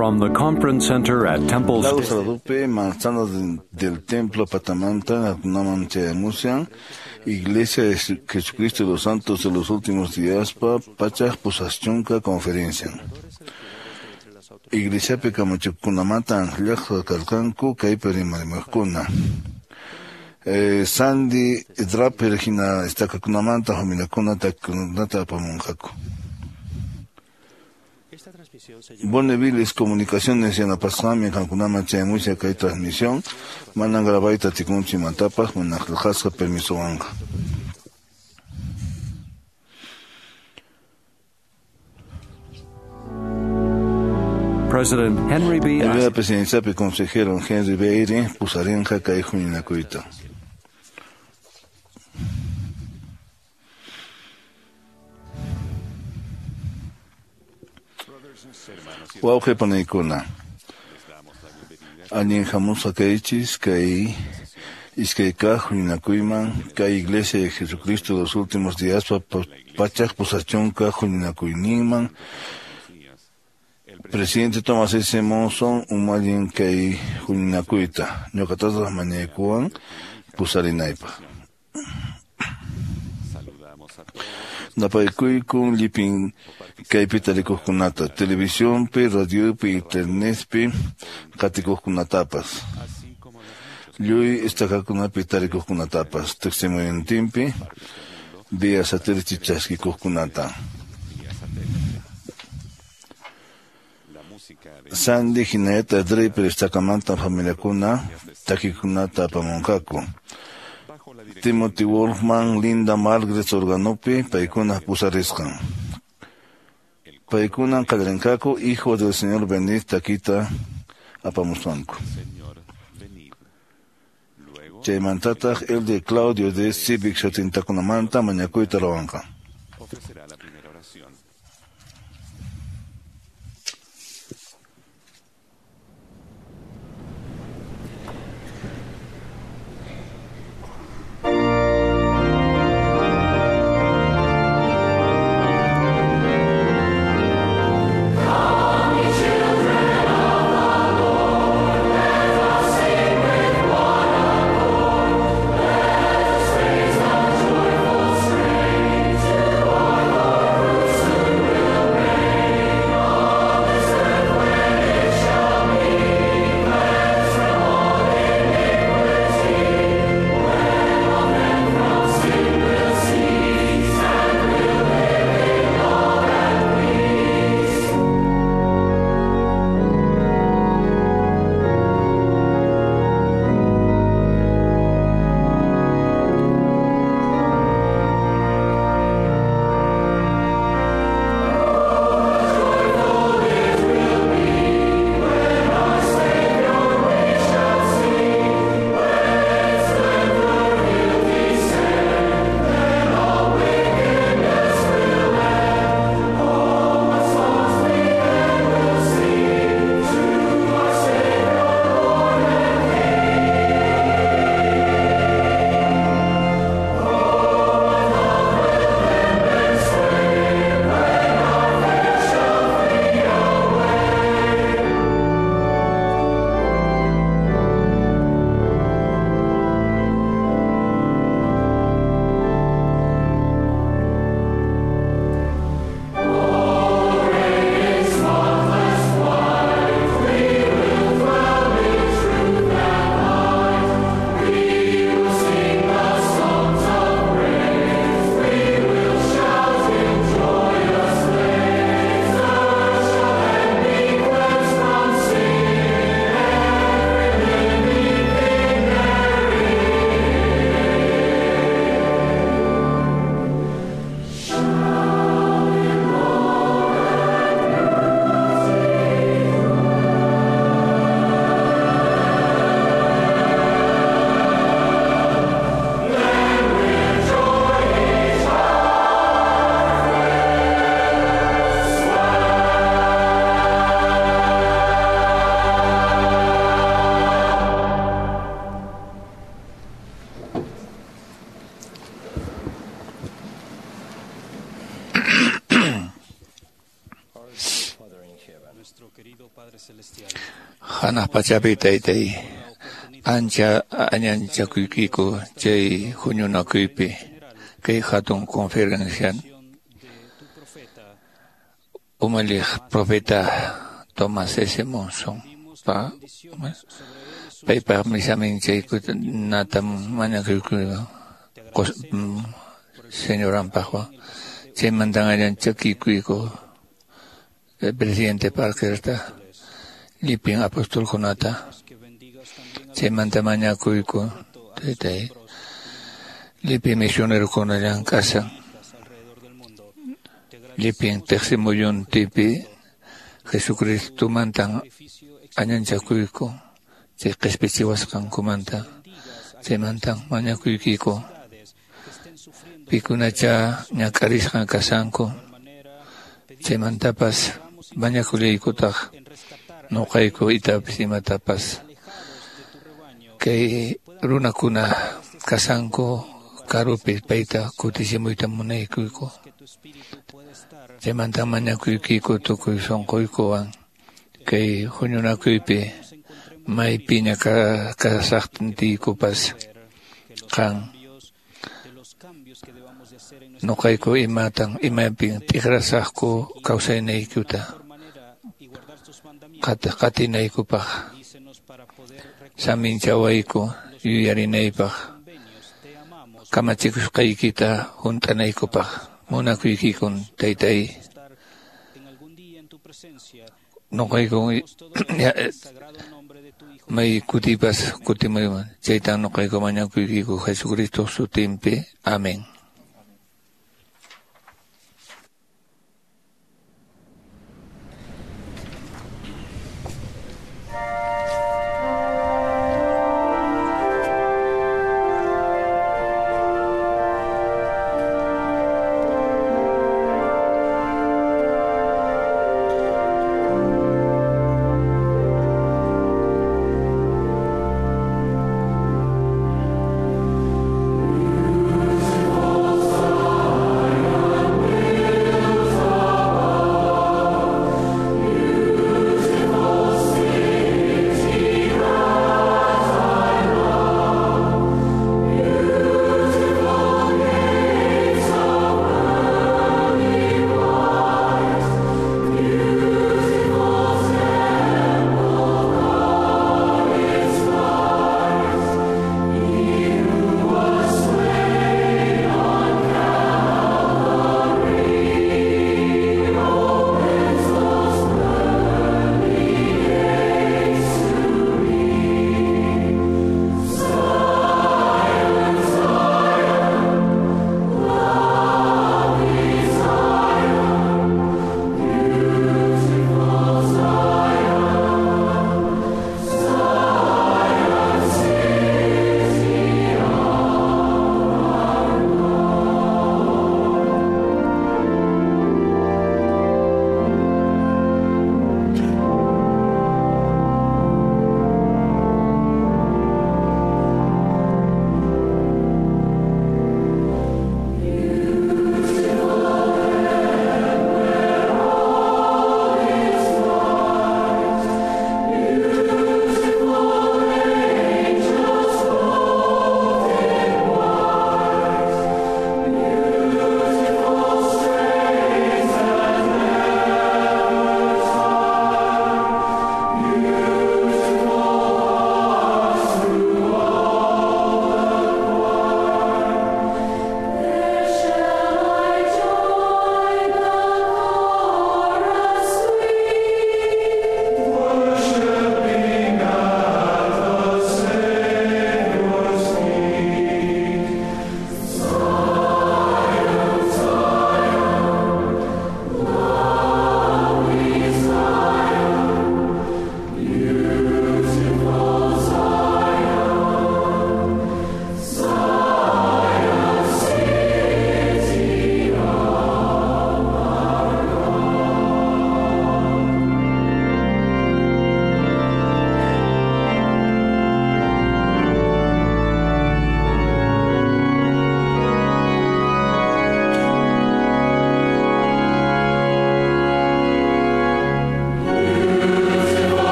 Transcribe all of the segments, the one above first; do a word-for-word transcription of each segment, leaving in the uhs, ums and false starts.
From the Conference Center at Temple Lago Saradupe, manzana del Templo Patamanta, Naman Chayamusian, Iglesia de Jesucristo de los Santos de los Últimos Días, pa Pachaj Pusaschunka Conferencia. Iglesia Pecamachukunamata, Anjllajta Kalkanku, Kaiperimarimakuna. Eh, Sandy Draper hina estakakunamanta hominakuna takunata apamunqaku. Bonnevilles Comunicaciones yanapasqami qankunaman chayamusha kay transmisión manan grabayta tikunchi mantapaq mana qillqasqa permisowanqa. President Henry B. El presidenciapi consejero Henry B. Eyring pusarinqa kay huñunakuyta. Wawqi panaykuna, allin hamusqa kaychis kay iskay kaq huñunakuyman kay Iglesia de Jesucristo de los Últimos Días pachaq pusachunka huñunakuyninman. Presidente Thomas S. Monson umallin kay huñunakuyta ñuqatataq mañaykuwan pusarinaypaq. Napaykuykun llipin kaypi tarikuqkunata, televisionpi, radiopi, internetpi qatikuqkunatapas, lluy estakakunapi tarikuqkunatapas, tiqsimuyuntinpi vía satélite chaskikuqkunata. Sandy hinallataq Draper estakamanta familiakuna takikunata apamunqaku. Timothy Wolfman, Linda Margaret organopi paykuna pusarisqan. Paykuna qallarinqaku Hijo del Señor venid takita apamusqanku. Chaymantataq el de Claudio de Civic shutintakunamanta mañakuyta ruwanqa. Hanaq pachapi taytay, ancha añanchakuykiku chay huñunakuypi kay hatun conferencia umalliq profeta Thomas S. Monson pa paypaqmi saminchaykunata mañakuyku señoranpaqwan chaymantan allanchakikuyku presidente Parkerta llipin apostolkunata chaymanta mañakuyku taytay llipin misionerokuna llank'ashan llipin tiqsimuyuntipi Jesucristomantan añanchakuyku chay qhispichiwasqankumanta chaymantan mañakuykiku pikunacha ñak'arisqa kashanku chaymantapas mañakullaykutaq nuqayku itapis imatapas kay runakuna kashanku karupi payta kutichimuyta munaykuyku chaymanta mañakuykiku tukuy sunquykuwan kay huñunakuypi maypiña kasaqtiykupas qan nuqayku imatan imapin t'ikrasaqku kawsayniykuta qatinaykupaq saminchawayku yuyarinaypaq kamachikusqaykita hunt'anaykupaq munakuykikun taytay nuqayku may kutipas kutimuyman chaytan nuqayku mañakuykiku Jesucristo sutinpi. Amén. Oh.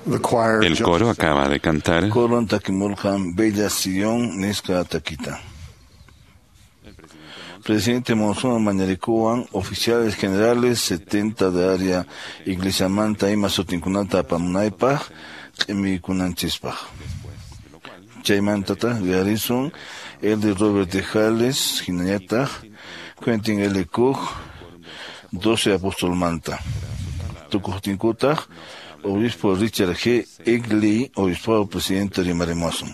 El coro acaba de cantar. Coron takimulkan Bella Sion nisqa takita. Presidente Monzón mañarikuwan oficiales generales setenta de área iglesiamanta ima sutinkunata apamunaypaq q'imikunanchispaq. Chaymantataq uyarisun Elder Robert de Hales hinallataq Quentin L. Cook doce apostolmanta. Tukuqtinkutaq Obispo Richard G. Egley, obispo presidente rimarimuwasun.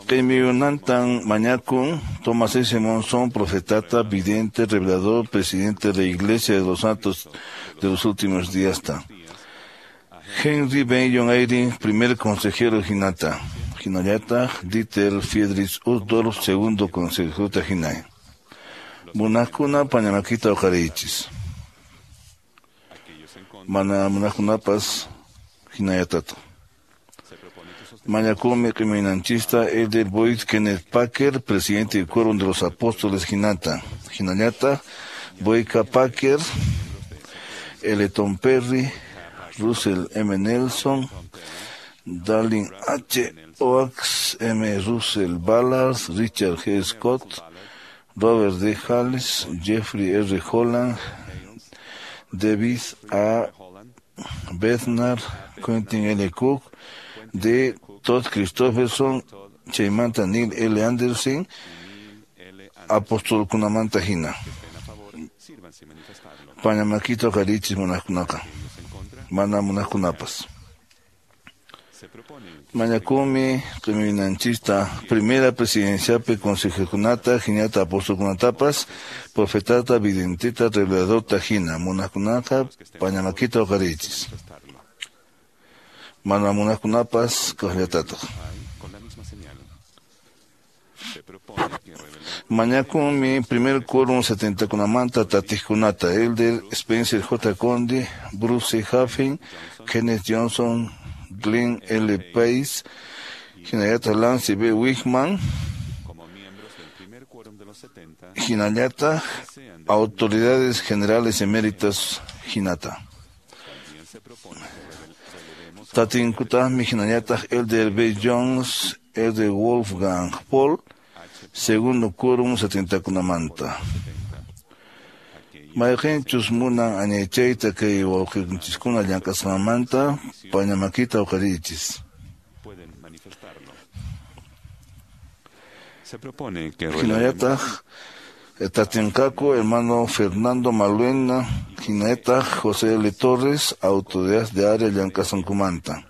Q'imiyunantan mañakun Thomas S. Monson, profetata, vidente, revelador, presidente de la Iglesia de los Santos de los Últimos Días. Ta. Henry Benyon Eyring, primer consejero hinata. Hinayata, Dieter Friedrich Uchtdorf, segundo consejero hinay. Munakuna pañamakita uqarichis. Mana munakunapas hinayatata. Mañakumi q'iminanchista Elder Boyd Kenneth Packer, presidente del Quórum de los Apóstoles Hinata. Hinayata, Boyka Packer, Eleton Perry, Russell M. Nelson, Darlene H. Oaks, M. Russell Ballard, Richard G. Scott, Robert D. Hales, Jeffrey R. Holland, David A. Bednar, Quentin L. Cook, D. Todd Christopherson, Chaymanta Neil L. Anderson, Apóstol Kunamanta Hina. Pañamaquito Carichis Munajkunaka. Mana Munajkunapas. Mañakumi, q'iminanchista, primera presidenciapi consejekunata, hinata apostolkunatapas, profetata, videntita, reveladorta hina, munajkunaka, pañamaquita uqarichis. Mana munajkunapas, kaqllatataq. Mañakumi, primer quórum setentakunamanta tatiqkunata, Elder Spencer J. Condi, Bruce Haffin, Kenneth Johnson, Glenn L. Pace, Hinayata Lance B. Wigman, Hinayata, Autoridades Generales Eméritas, Hinata. Tatinkutahmi Hinayata Elder B. Jones, Elder Wolfgang Paul, segundo quórum setentakunamanta. Mayqinchus munan añaychayta kay wawqikunchiskuna llank'asqanmanta pañamakita uqarichis. Hinallataq tatinqaku hermano Fernando Maluena, hinallataq José L. Torres, autoridad de área llank'asqankumanta.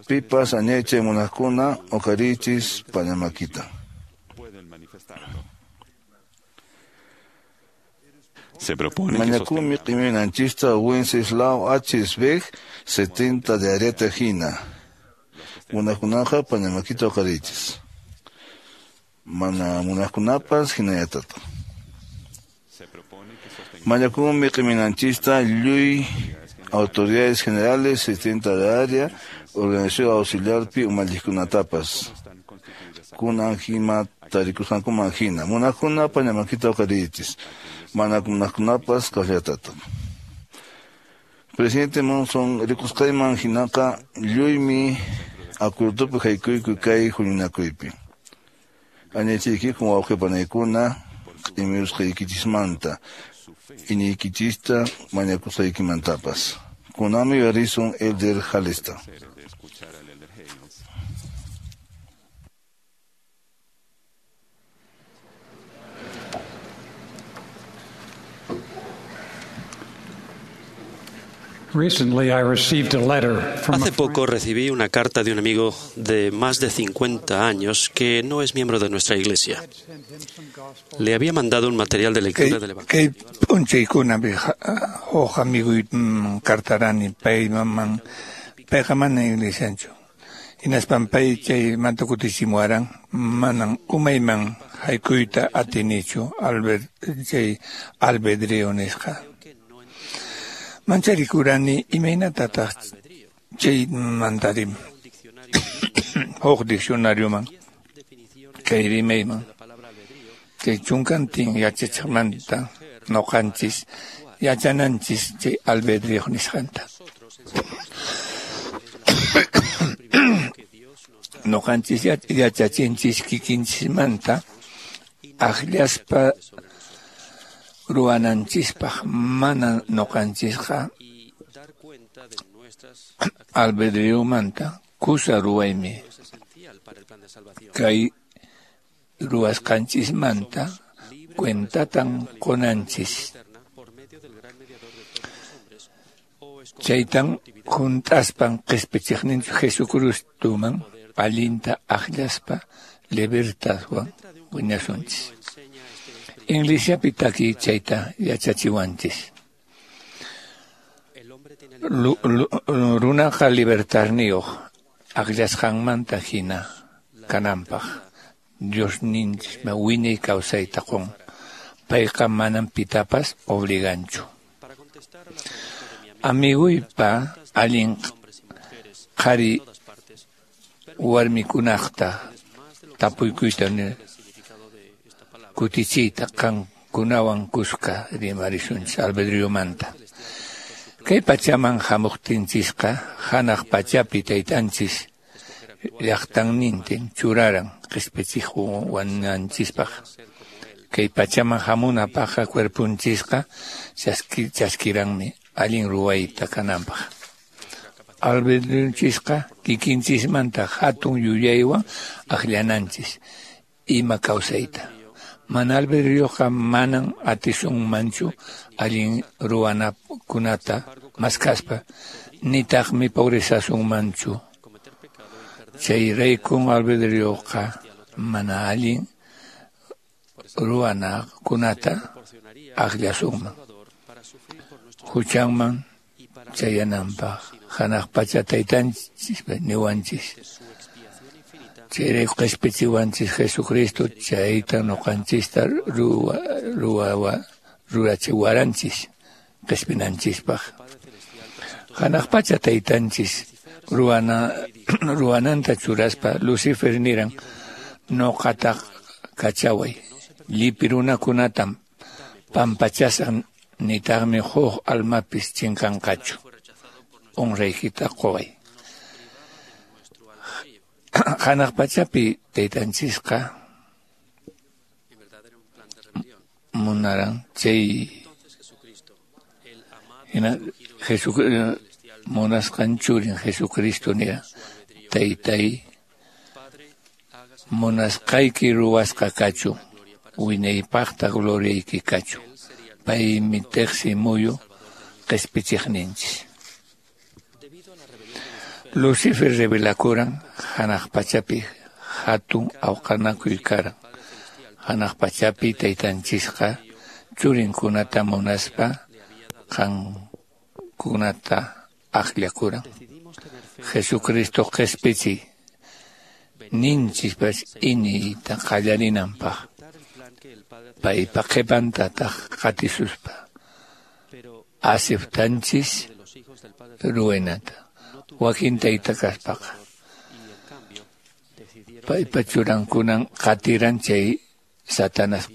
Pipas añaychay munaqkuna uqarichis pañamakita. Se propone Mañakumi q'iminanchista Wenceslao H. Sveg, setenta de Areta Hina. Munajkunaqa pañamakita uqarichis. Mana munajkunapas hinallatata. Mañakumi q'iminanchista lluy autoridades generales setenta de área, organización auxiliarpi umalliqkunatapas. Kunan hima tarikusqankuman hina. Munajkuna pañamakita uqarichis. Manakunakunapas kaqllatata. Presidente Monson, rikusqayman hinaqa lluymi acuerdopi haykuyku kay huñunakuypi. Añaychiykikun wawqipanaykuna q'imirusqaykichismanta, iñiykichista mañakusqaykimantapas. Kunanmi yuyarisun Elder Halesta. Hace poco recibí una carta de un amigo de más de cincuenta años que no es miembro de nuestra iglesia. Le había mandado un material de lectura del Evangelio. Mancharikurani imaynatataq chay mantarim huk diccionarioman kay rimayman chay chunkantin yachachiqmanta noqanchis Yachananchis chay albedrío nisqanta. Noqanchis yachachinchis kikinchismanta akllaspa ruwananchispaq, mana noqanchisqa albedriomanta kusa ruwaymi. Kay ruwasqanchismanta cuentatan qunanchis. Chaytan junt'aspan qispichiqninchik Jesucristoman allinta akllaspa libertadwan wiñasunchis. Iglesiapi takiy chayta yachachiwanchis. Runaqa libertadniyuq akllasqanmanta hina kananpaq Diosninchis wiñay kawsayta qun. Payqa manam pitapas obliganchu. Amiguypa allin qhari warmikunaqta tapuykuyta kutichiyta qankunawan kuska rimarisunchis albedriomanta. Kay pachaman hamuqtinchisqa hanaq pachapi taytanchis llaqtannintin churaran qispichiqwananchispaq. Kay pachaman hamunapaqqa cuerpunchisqa chaskiranmi allin ruwayta kananpaq. Albedrionchisqa kikinchismanta hatun yuyaywan akllananchis ima kawsayta. Mana albedrioqa manan atisunmanchu allin ruwanakunata maskaspa, nitaqmi pobrezasunmanchu. Chayraykun albedrioqa mana allin ruwanakunata akllasunman. Huchanman chayananpaq hanaq pacha taytanchis niwanchis. Chayrayku qispichiwanchis Jesucristo chayta nuqanchista ruwa ruwa rurachiwaranchis qispinanchispaq. Hanaq pacha taytanchis ruwana ruwananta churaspa Lucifer niran nuqataq kachaway llipi runakunatam pampachasaq nitaqmi huk almapis chinkanqachu honraykita quway. Hanaq pachapi taytanchisqa munaran chay hina Jesucristo munasqan churin Jesucristo nira taytay munasqayki ruwasqa kachun wiñaypaqta gloriayki kachun. Paymi tiqsi muyu qispichiqninchis. Lucifer revelakuran hanaq pachapi hatun awqanakuy karan. Hanaq pachapi taytanchisqa churinkunata munaspa qankunata akllakuran. Jesucristo qispichi ninchispas iñiyta qallarinanpaq. Paypa qhipantataq qatisuspa aceptanchis ruwaynata. Wakin tayta kaspaqa paypa churankunan qatiran chay Satanas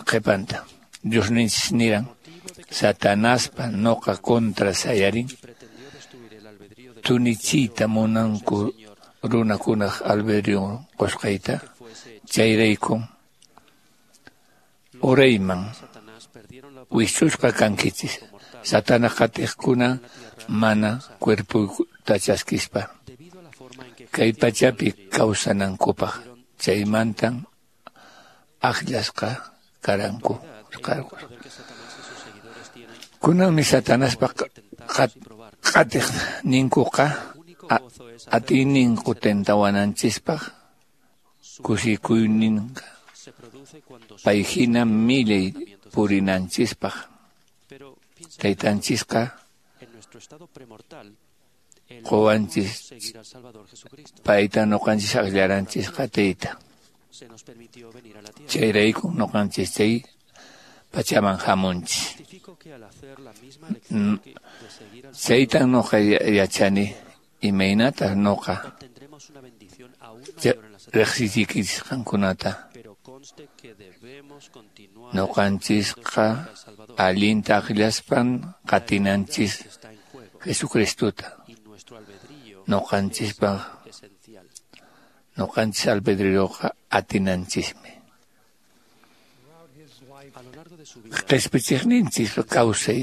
qhipanta. Diosninchis niran Satanaspa noqa contra sayarin tunichiyta munanku runakunaq albedrion qusqayta chayraykun urayman wischusqa kankichis. Satanas qatiqkuna mana cuerputa chaskispa kay pachapi kawsanankupaq chaymantan akllasqa karanku. Kunanmi Satanaspa qatiqninkuqa atiyninku tentawananchispaq kusikuyninqa pay hina millay purinanchispaq. Taytanchisqa quwanchis payta nuqanchis akllaranchis qatiyta. Chayrayku nuqanchis chay pachaman hamunchis. Chaytan nuqa yachani imaynataq nuqa riqsichiykichis qankunata Noqanchisqa allinta akllaspan qatinanchis Jesucristota. Noqanchispaq noqanchis albedrioqa atinanchismi. Qhispichiqninchis kawsay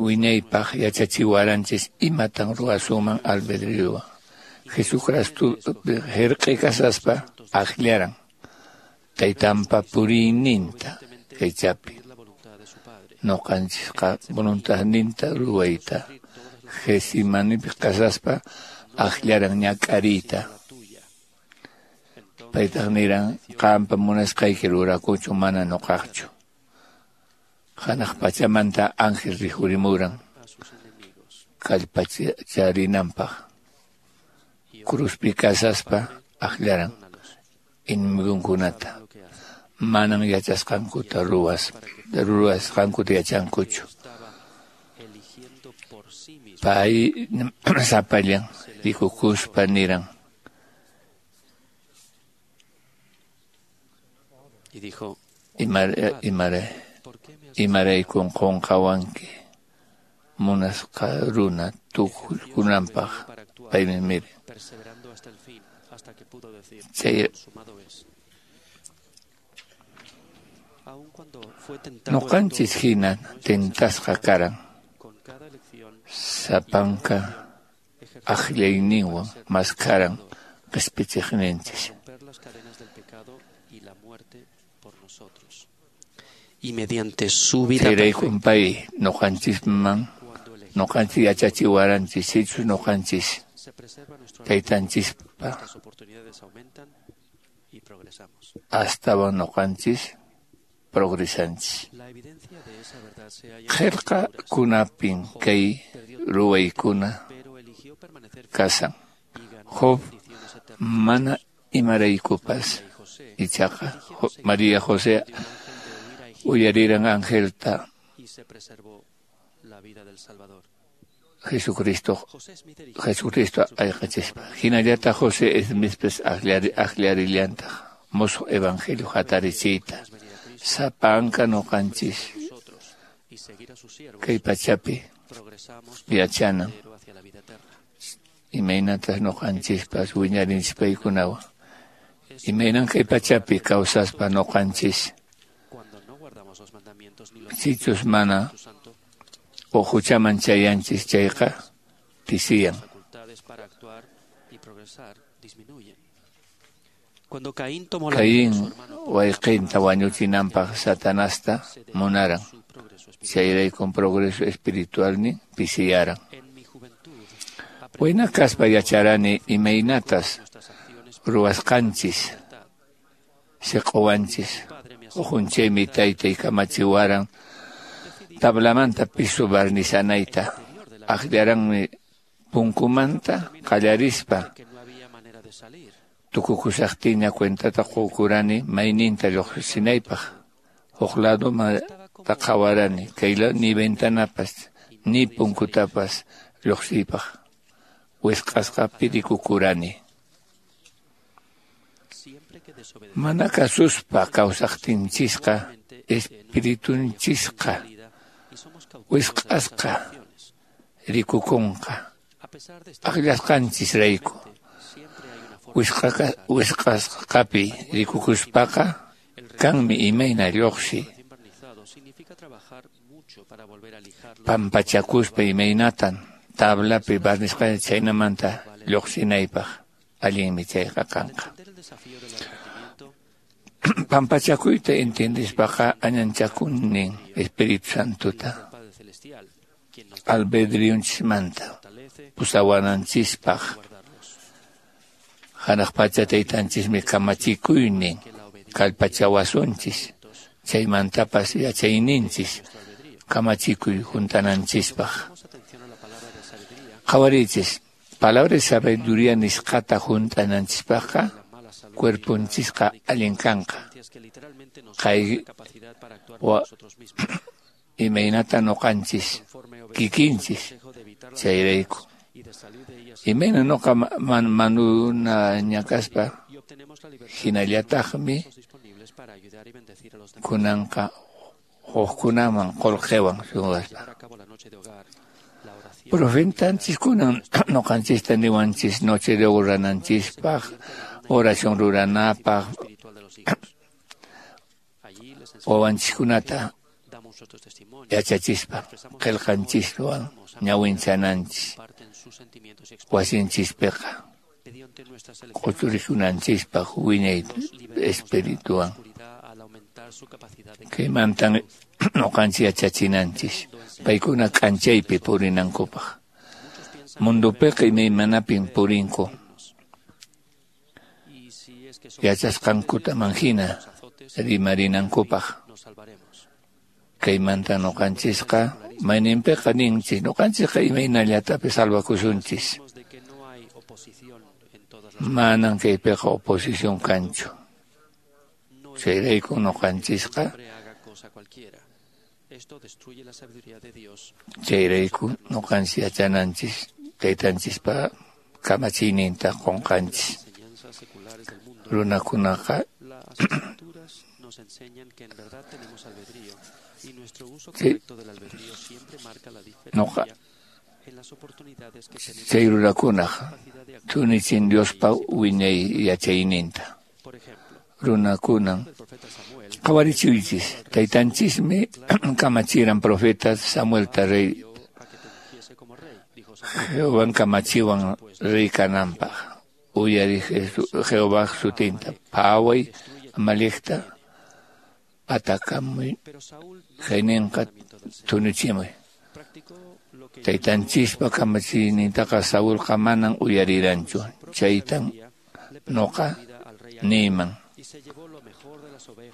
wiñaypaq yachachiwaranchis imatan ruwasunman albedriowan. Jesucristo hirq'i kasaspa akllaran taytanpa puriyninta kaychapi. Noqanchisqa voluntadninta ruwayta Getsemanipi kasaspa akllaran ñak'ariyta. Paytaq niran qampa munasqayki rurakuchu mana noqaqchu. Hanaq pachamanta ángel rikhurimuran kallpacharinanpaq. Cruzpi kasaspa akllaran enemigunkunata. Manan yachasqankuta ruwas ruwasqankuta yachankuchu. Pay sapallan rikukuspa niran. Imara imaraykun qunqawanki munasqa runa tukukunanpaq paymi miri. Chay noqanchis hina tentasqa karan sapanka akllayninwan maskaran qhispichiqninchis. Y mediante su vida Chayraykun pay noqanchisman noqanchis yachachiwaranchis sichus noqanchis taytanchispa astawan noqanchis progresanchis. Qillqakunapin kay ruwaykuna kasan. Job mana imaraykupas ichaqa María José uyariran angelta Jesucristo Jesucristo ayqachispa. Hinallata José Smithpis aklarillantaq musuq evangelio hatarichiyta. Sapanka noqanchis kay pachapi yachanan imaynatas noqanchispas wiñarinchis paykunawan. Imaynan kay pachapi kawsaspa noqanchis sichus mana huchaman chayanchis chayqa pisiyan. Caín wayqinta wañuchinanpaq Satanasta munaran. Chayraykun progreso espiritualnin pisiyaran. Wayna kaspa yacharani imaynatas ruwasqanchis siq'uwanchis. Uqunchaymi taytay kamachiwaran tablamanta piso barnizanayta. Akllaranmi punkumanta qallarispa tukukusaqtiña cuentata qukurani mayninta lluqsinaypaq. Huk ladumanta qhawarani kay ni ventanapas ni punkutapas lluqsiypaq. Wisq'asqa pirikukurani. Mana kasuspa kawsaqtinchisqa espiritunchisqa wisq'asqa rikukunqa akllasqanchisrayku. Wisq'asqapi rikukuspaqa kanmi imayna lluqsi pampachakuspa imaynatan tablapi barnisqa chaynamanta lluqsinaypaq allinmi chayqa kanqa. Pampachakuyta entendispaqa añanchakunin Espíritu Santota albedrionchismanta pusawananchispaq. Hanaq pacha taytanchismi kamachikuynin kallpachawasunchis chaymantapas yachayninchis kamachikuy juntananchispaq. Qhawariychis palabra de sabiduría nisqata juntananchispaqqa cuerponchisqa allin kanqa. Kay wa imaynata noqanchis kikinchis chayrayku Imayna noqa man, manuna ñakaspa hinallataqmi kunanqa hukkunaman qullqiwan suwaspa. Profetanchis kunan noqanchista niwanchis noche de rurananchispaq, oración ruranapaq, wawanchiskunata yachachispa, qillqanchiswan ñawinchananchis, wasinchispiqa q'uchurikunanchispaq wiñay espirituwan. Kaymantan noqanchis yachachinanchis, paykuna k'anchaypi purinankupaq. Mundupiqa imaymanapin purinku. Yachasqankutaman hina rimarinankupaq. Kaymanta noqanchisqa mayninpiqa ninchis, noqanchisqa imaynallatapis salvakusunchis. Manan kaypiqa oposición kanchu. Chayrayku noqanchisqa chayrayku noqanchis yachananchis taytanchispa kamachiyninta qunqanchis. Runakunaqa chay noqa chay runakunaq thunichin Diospa wiñay yachayninta. Runakunan qhawarichiychis, taytanchismi kamachiran profeta Samuelta rey Jehovan kamachiwan rey kananpaq. Uyari Jehová sutinta, phaway Amalecta atakamuy kayninqa thunichimuy. Taytanchispa kamachiynintaqa Saulqa manan uyariranchu. Chaytan noqa niyman.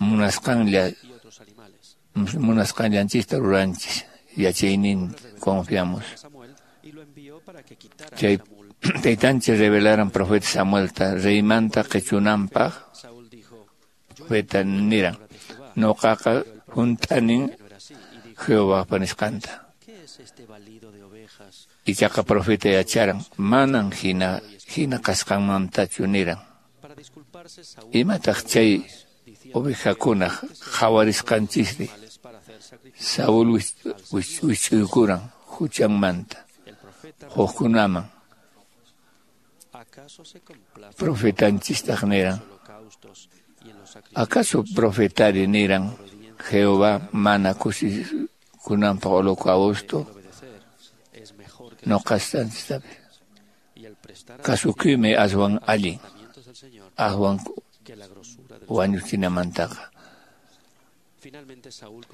Munasqanlla munasqanllanchista ruranchis, yachaynin confiamos. Chay taytanchis revelaran profeta Samuelta reymanta qichunanpaq. Profeta niran, noqaqa hunt'anin Jehovahpa nisqanta. Ichaqa profeta yacharan, manan hina hina kasqanmantachu niran. Imataq chay ovejakunaq qhawarisqanchisri? Saúl wich'uykuran huchanmanta hukkunaman. Profetanchistaq niran, ¿acaso profetari niran Jehová mana kusikunanpaq holocausto? Noqastanchistapi kasukuymi aswan allin, aswan wañuchinamantaqa.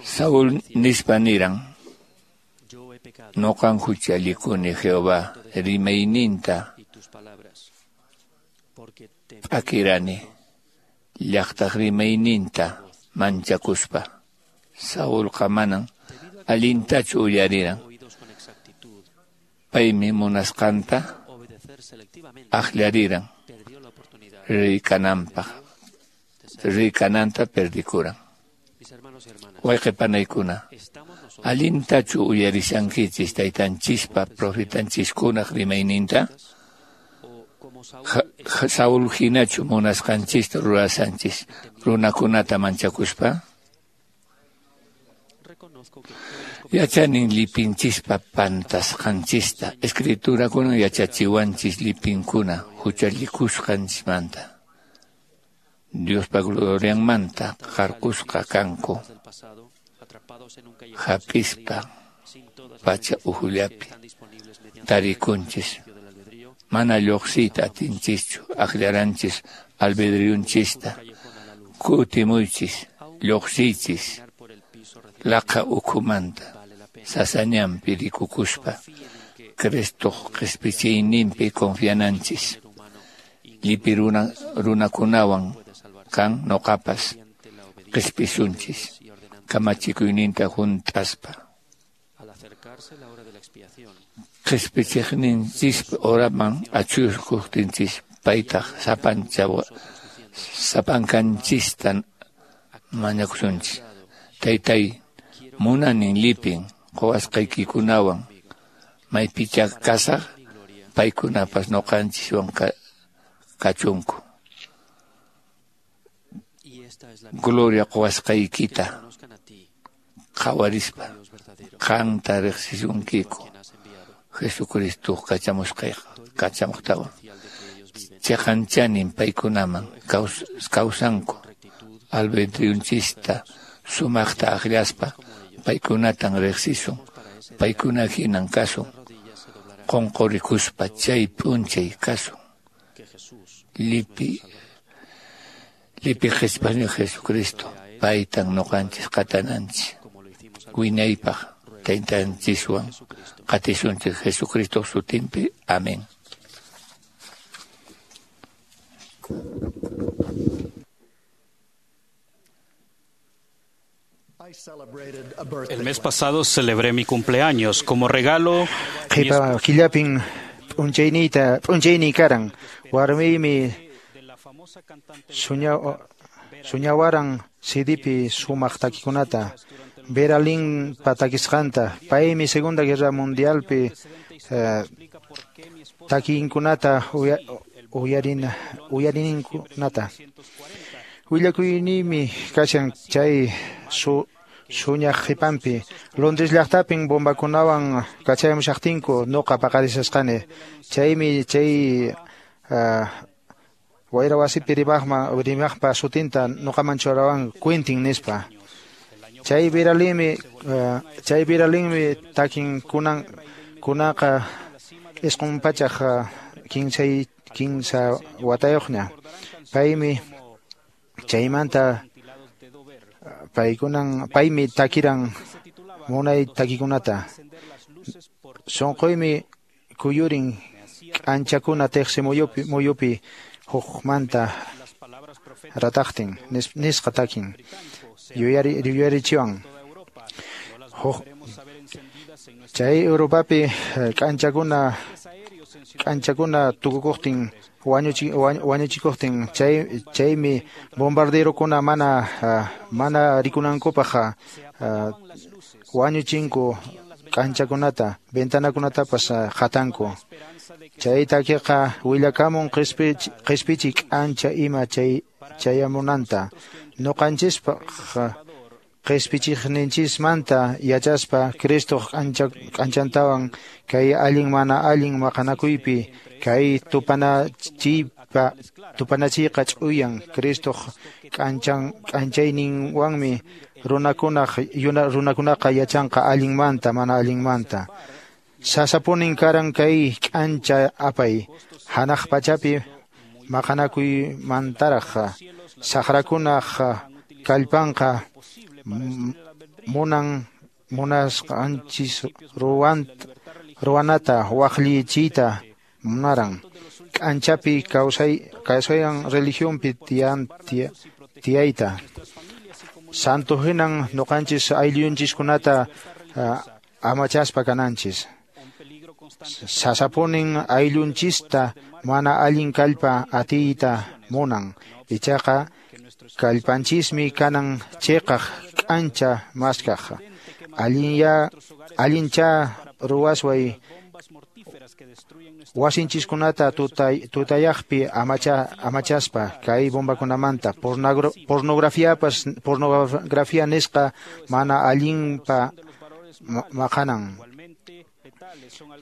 Saúl nispa niran, noqan huchallikuni Jehová rimayninta p'akirani, llaqtaq rimayninta manchakuspa. Saulqa manan allintachu uyariran. Paymi munasqanta akllariran rey kananpaq, rey kananta perdikuran. Wayqi panaykuna, allintachu uyarishankichis taytanchispa profetanchiskunaq rimayninta? Saúl hinachu munasqanchista rurashanchis runakunata manchakuspa? Yachanin lipinchispa pantasqanchista, escriturakuna yachachiwanchis lipinkuna huchallikusqanchismanta. Diospa glorianmanta qarqusqa kanku, hap'ispa pacha uhullapi tarikunchis. Mana lluqsiyta atinchischu, akllaranchis albedriyunchista. Kutimuychis, lluqsiychis laqa ukhumanta, sasañanpi rikukuspa, Cristoq qispichiyninpi confiananchis. Llipi runa, runakunawan kan noqapas qispisunchis, kamachikuyninta hunt'aspa. Qispichiqninchispa horaman achuykuqtinchis, paytaq sapancha sapankanchista mañakusunchis. Taytay, munanin lipin quwasqaykikunawan maypicha kasaq Paykunapas ñuqanchiswan kachunku. Gloria quwasqaykita qhawarispa qanta riqsisunkiku Jesucristo kachamuqtawan. Chiqanchanin paykunaman kawsanku albedriyunchista sumaqta akllaspa paykunatan riqsisun, paykuna hinan kasun, qunqurikuspa chay p'unchay kasun. Lipi Lipi qhispani Jesucristo, paytan ñuqanchis qatananchis, wiñaypaq taytanchiswan qatisunchis Jesucristo sutinpi. Amén. El mes pasado celebré mi cumpleaños. Como regalo, Qhipa killapin p'unchayniyta p'unchayniy karan warmiymi suñawaran C Dpi sumaq takikunata Vera Lynn takisqanta. Paymi Segunda Guerra Mundialpi takinkunata uyarinninkunata. Willakuyniymi kashan chay su suñaq qhipanpi. Londres llaqtapin bombakunawan kachayamushaqtinku nuqa paqarisasqani. Chaymi chay wayra wasipi rimaqma rimaqpa sutinta nuqaman churawan Quentin nispa. Chay Vera Lynmi chay Vera Lynmi takin kunan kunaqa isqun pachaq kinsay kinsa watayuqña. Paymi chaymanta paykunan paymi takiran munay takikunata. Sunquymi kuyurin k'anchakuna tiqsi muyupi muyupi hukmanta rataqtin nisqa takin yuyari yuyarichiwan. Huk chay Europapi k'anchakuna k'anchakuna tukukuqtin wañuchi wañuchikuqtin chay chaymi bombarderokuna mana mana rikunankupaq wañuchinku k'anchakunata ventanakunatapas qatanku. Chay takiqa willakamun qhispichi qhispichi k'ancha ima chay chayamunanta. Ñuqanchispaq qhispichiqninchismanta yachaspa Cristo k'ancha k'anchantawan kay allin mana allin maqanakuypi kay tupanachiypa tupanachiyqa ch'uyan Cristo k'anchan k'anchayninwanmi runakunaq runakunaqa yachanqa allinmanta mana allinmanta. Sasapunin karan kay k'ancha apay hanaq pachapi maqanakuymantaraq saqrakunaq kallpanqa munan munasqanchis ruwan ruwanata waqllichiyta munaran. K'anchapi kawsay kawsayan religionpi tiyan tiyayta. Santo hinan ñuqanchis ayllunchiskunata amachaspa kananchis. Sasapunin ayllunchista mana allin kallpa atiyta munan. Ichaqa kallpanchismi kanan chiqaq k'ancha maskaq. Allinya allincha ruwasway wasinchiskunata tutay tutayaqpi amacha amachaspa kay bombakunamanta pornografiapas pornografía nisqa mana allinpa maqanan.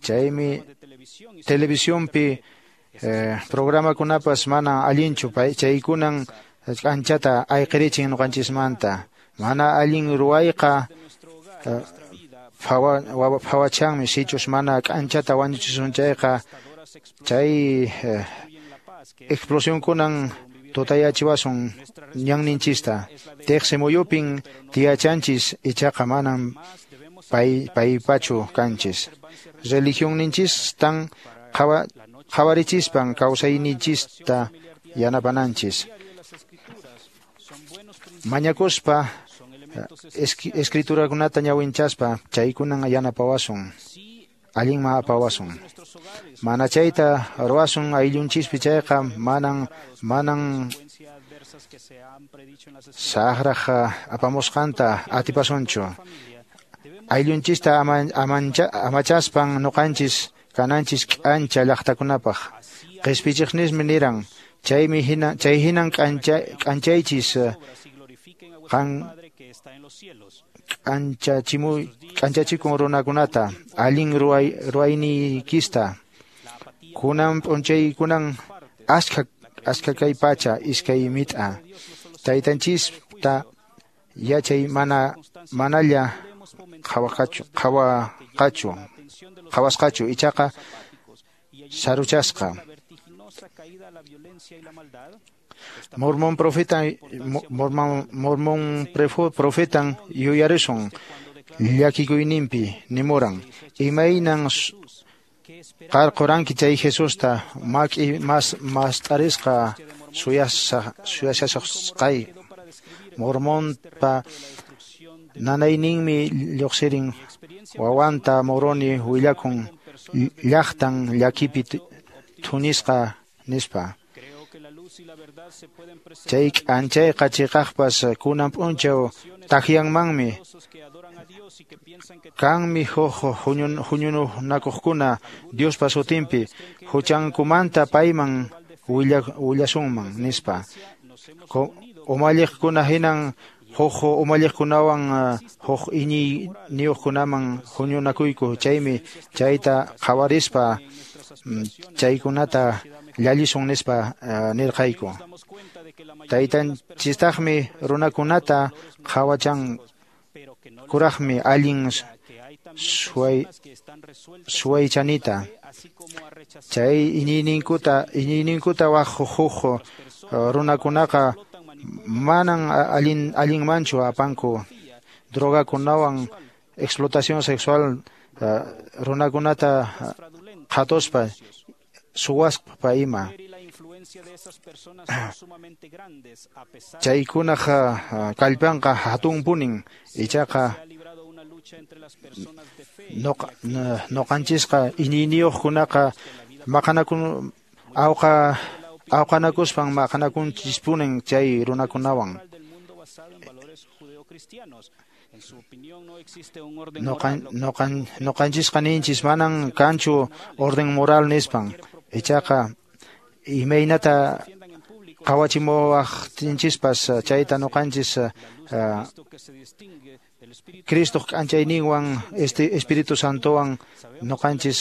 Chaymi televisionpi eh, programakunapas mana allinchu chaykunan k'anchata ayqirichin ñuqanchismanta. Mana allin ruwayqa phawachanmi sichus mana k'anchata wañuchisun chayqa chay eh, explosionkunan tutayachiwasun ñanninchista. Tiqsi muyupin tiyachanchis ichaqa manan pay paypachu kanchis. Religionninchistan qhawa qhawarichispan kawsayninchista yanapananchis. Mañakuspa escriturakunata ñawinchaspa chaykunan yanapawasun allinman apawasun. Mana chayta ruwasun ayllunchispi chayqa manan manan saqraq apamusqanta atipasunchu. Ayllunchista amancha, amachaspan nuqanchis kananchis k'ancha llaqtakunapaq. Qispichiqnismi niran, chaymi hina, chay hinan k'ancha, k'anchaychis qan k'anchachimuy k'anchachikun runakunata allin ruway ruwayniykista. Kunan p'unchaykunan askha askha kay pacha iskay mit'a. Taytanchista yachay mana manalla qhawaqachu qhawaqachu qhawasqachu ichaqa saruchasqa. Mormón profeta Mormón Mormón profetan yuyarisun llakikuyninpi nimuran imaynan qarquranki chay Jesusta maki mas mast'arisqa suyasa suyasasqay. Mormonpa nanayninmi lluqsirin wawanta Moroni willakun llaqtan llakipi thunisqa nispa. Chay k'anchayqa chiqaqpas kunan p'unchaw takyanmanmi. Kanmi huk huñunakuqkuna Diospa sutinpi huchankumanta payman willasunman nispa. Umalliqkuna hinan huk umalliqkunawan huk iñiyniyuqkunaman huñunakuyku, chaymi chayta qhawarispa chaykunata llallisun nispa nirqayku. Taytanchistaqmi runakunata qhawachan kuraqmi allin suway suwaychanita. Chay iñiyninkuta iñiyninkuta waq huk runakunaqa manan allin allinmanchu apanku drogakunawan explotación sexual runakunata qhatuspa suwaspa ima. Chaykunaq kallpanqa hatunpunin, ichaqa nuqanchisqa iñiyniyuqkunaqa maqanakun awqa awqanakuspan maqanakunchispunin chay runakunawan. Nuqan nuqan nuqanchisqa ninchis manan kanchu orden moral nispan, ichaqa imaynata qawachimuwaqtinchispas chayta nuqanchis Cristoq k'anchayninwan este Espíritu Santowan nuqanchis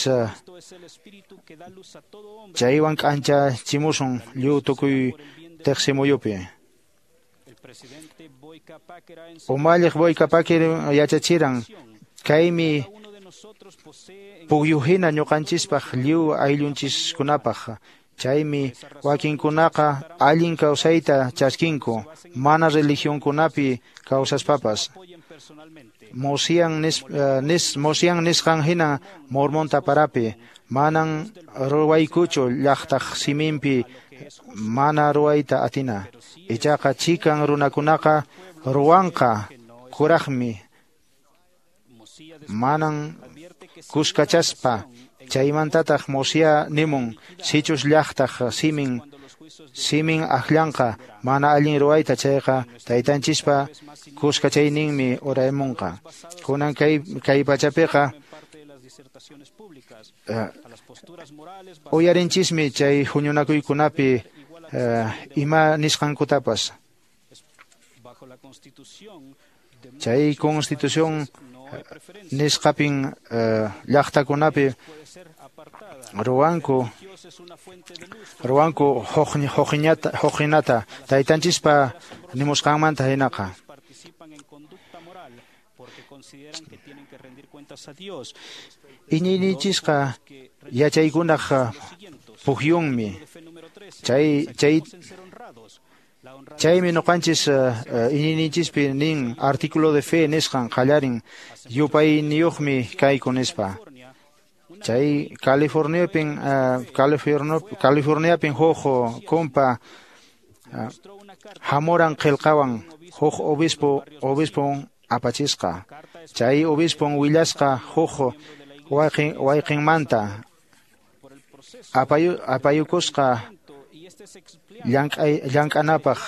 chaywan k'anchachimusun lliw tukuy tiqsimuyupi. Umalliq Boyka Packer yachachiran kaymi pukyu hina ñuqanchispaq lliw ayllunchiskunapaq. Chaymi wakinkunaqa allin kawsayta chaskinku mana religionkunapi kawsaspapas. Mosian nis, nis, Mosian nisqan hina Mormón taparapi manan ruwaykuchu llaqtaq siminpi mana ruwayta atina. Ichaqa chikan runakunaqa ruwanqa kuraqmi manan kuskachaspa. Chaymantataq Mosia nimun sichus llaqtaq simin simin akllanqa mana allin ruwayta chayqa taytanchispa kuskachayninmi uraymunqa. Kunan kay kay pachapiqa uh, uyarinchismi chay huñunakuykunapi uh, ima nisqankutapas. Chay constitución nisqapin uh, llaqtakunapi ruwanku ruwanku huqinata huqinata taytanchispa nimusqanmanta hinaqa. Iñiyninchisqa yachaykunaq pukyunmi. Chay chay chaymi nuqanchis iñiyninchispi nin artículo de fe nisqan qallarin yupayniyuqmi kayku nispa. Chay Californiapin California Californiapin huk kumpa hamuran qillqawan huk obispo obispon apachisqa. Chay obispon willasqa huk wayqin wayqinmanta apayu apayukusqa llank'ay llank'anapaq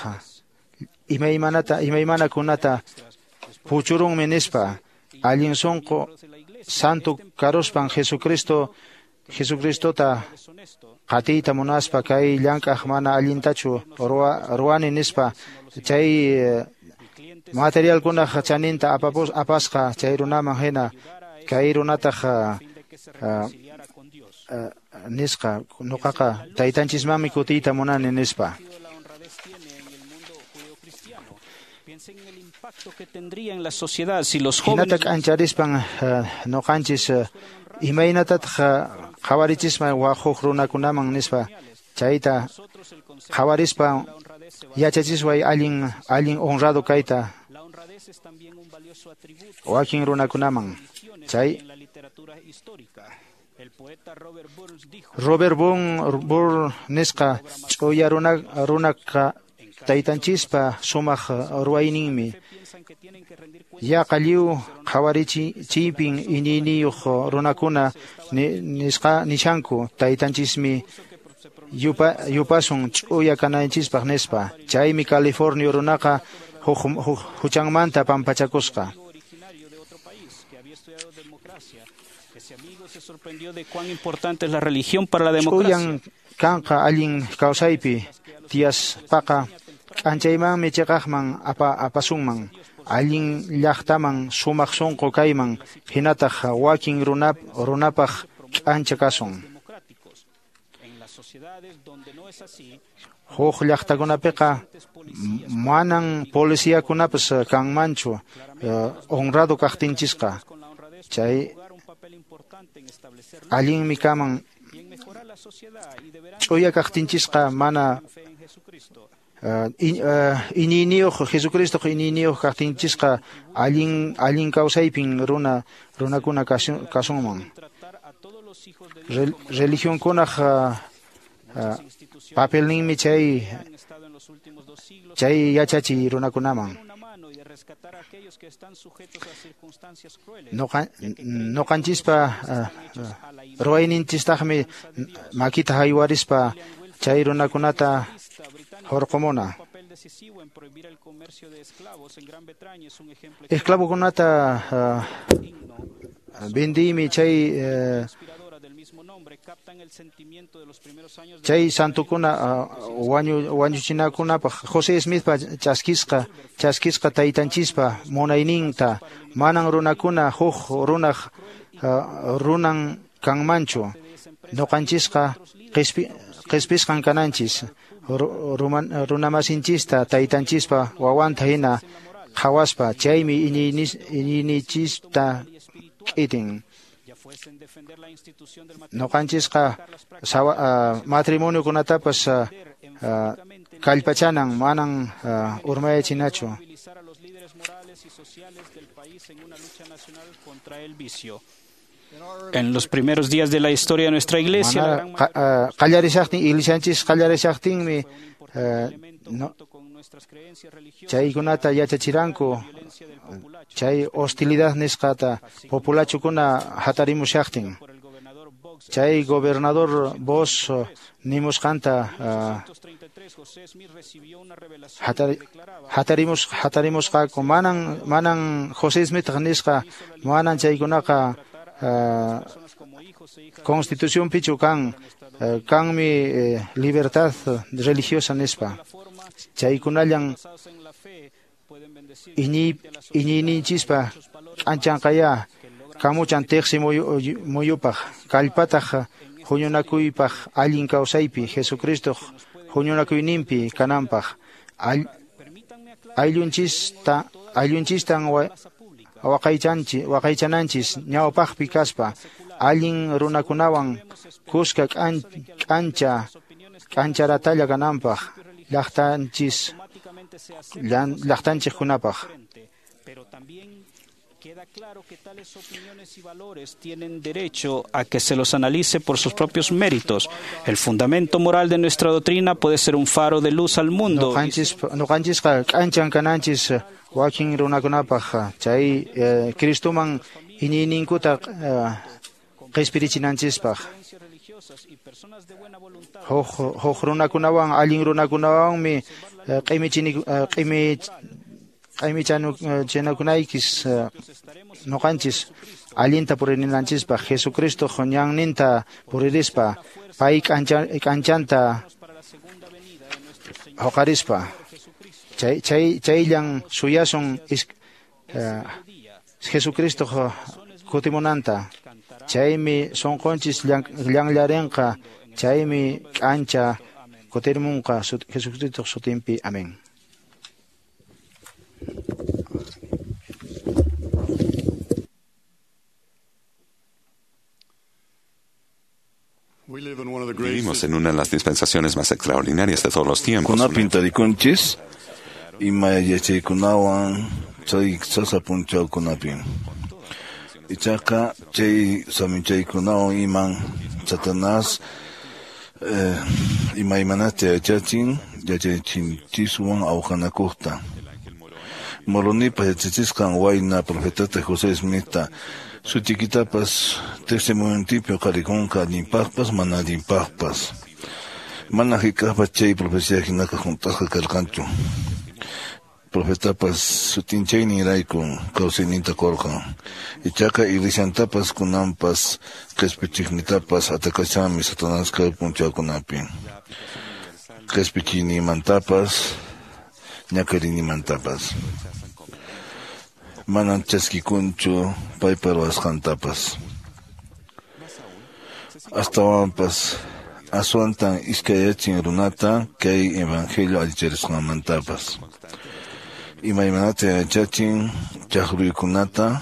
imaymanata imaymanakunata puchurunmi nispa. Allin sunqu santo karuspan Jesucristo Jesucristota qatiyta munaspa kay llank'aq mana allintachu ruwani nispa chay materialkunaq chaninta apapus apasqa chay runaman hina kay runataq nisqa nuqaqa taytanchismanmi kutiyta munani nispa. Hinata k'ancharispan nuqanchis imaynatataq qhawarichisman wak huk runakunaman nispa chayta qhawarispa yachachisway allin allin honrado kayta wakin runakunaman. Chay Robert Burns nisqa ch'uya runa runaqa taytanchispa sumaq ruwayninmi yaqa lliw qhawarichiypin iñiyniyuq runakuna nisqa nishanku taytanchismi yupa yupasun ch'uya kananchispaq nispa. Chaymi California runaqa huk huchanmanta pampachakusqa. Ch'uyan kanqa allin kawsaypi tiyaspaqa k'anchaymanmi chiqaqman apa apasunman allin llaqtaman sumaq sunqu kayman hinataq wakin runap runapaq k'ancha kasun. Huk llaqtakunapiqa manan policiakunapas kanmanchu honrado kaqtinchisqa. Chay allinmi kaman ch'uya kaqtinchisqa mana iñiyniyuq Jesucristoq iñiyniyuq kaqtinchisqa allin allin kawsaypin runa runakuna kasunman. Religionkunaq papelninmi chay chay yachachiy runakunaman. Nuqanchispa ruwayninchistaqmi makita haywarispa chay runakunata hurqumuna. Esclavokunata vendiymi chay chay santukuna wañu wañuchinakunapaq José Smithpa chaskisqa chaskisqa taytanchispa munayninta manan runakuna huk runaq runan kanmanchu. Nuqanchisqa qispi qispisqan kananchis runamasinchista taytanchispa wawanta hina qhawaspa chaymi iñiyninchista k'itin. Nuqanchisqa matrimoniokunatapas kallpachanan manan urmayachinachu. En los primeros días de la historia de nuestra iglesia, qallarishaqtin iglesianchis qallarishaqtinmi chaykunata yachachiranku chay hostilidad nisqata populachukuna hatarimushaqtin. Chay gobernador Bos nimusqanta hatarimus hatarimusqaku manan manan José Smith nisqa manan chaykunaqa Constitución pichu kan kanmi libertad religiosa nispa. Chaykunallan iñiy iñiyninchispa k'anchanqaya kamuchan tiqsi muyupaq kallpataq huñunakuypaq allin kawsaypi Jesucristoq huñunakuyninpi kananpaq ayllunchista ayllunchistan waqaychanchis waqaychananchis ñawpaqpi kaspa allin runakunawan kuska k'ancha k'ancharatalla kananpaq llaqtanchis llaqtanchikkunapaq. Queda claro que tales opiniones y valores tienen derecho a que se los analice por sus propios méritos. El fundamento moral de nuestra doctrina puede ser un faro de luz al mundo. Nuqanchisqa k'anchan kananchis wakin runakunapaq chay Cristoman iñiyninkuta qispirichinanchispaq. Huk huk runakunawan allin runakunawanmi q'imichini q'imi q'imichanakunaykis Noqanchis allinta puririnanchispaq Jesucristo ñanninta puririspa pay k'anchanta huqarispa chay chay chayllan suyasun Jesucristo kutimunanta chaymi sunqunchis llanllarinqa chaymi k'ancha kutirimunqa Jesucristo sutinpi. Amén. Vivimos en una de las dispensaciones más extraordinarias de todos los tiempos. Kunapin tarikunchis ima yachaykunawan chay sasa punchawkunapin. Ichaqa chay saminchaykunawan iman Satanás eh, imaymanata yachachin yachachinchiswan awqanakuqta. Moronipa yachachisqan wayna profetata José Smithta sutikitapas testimoniopi uqarikunqa allinpaqpas mana allinpaqpas. Mana hayk'aqpas chay profecía hinaqa hunt'asqa karqanchu. Profetapas sutinchayninrayku kawsayninta qurqan. Ichaqa iglesiantapas kunanpas qhispichiqnitapas atakashanmi Satanás kay punchawkunapi. Qhispichiyninmantapas ñak'ariyninmantapas. Manan chaskikunchu paypa ruwasqantapas. Astawanpas aswantan iskayachin runata kay evangelio allicharisqanmantapas. Imaymanata yachachin chaqruykunata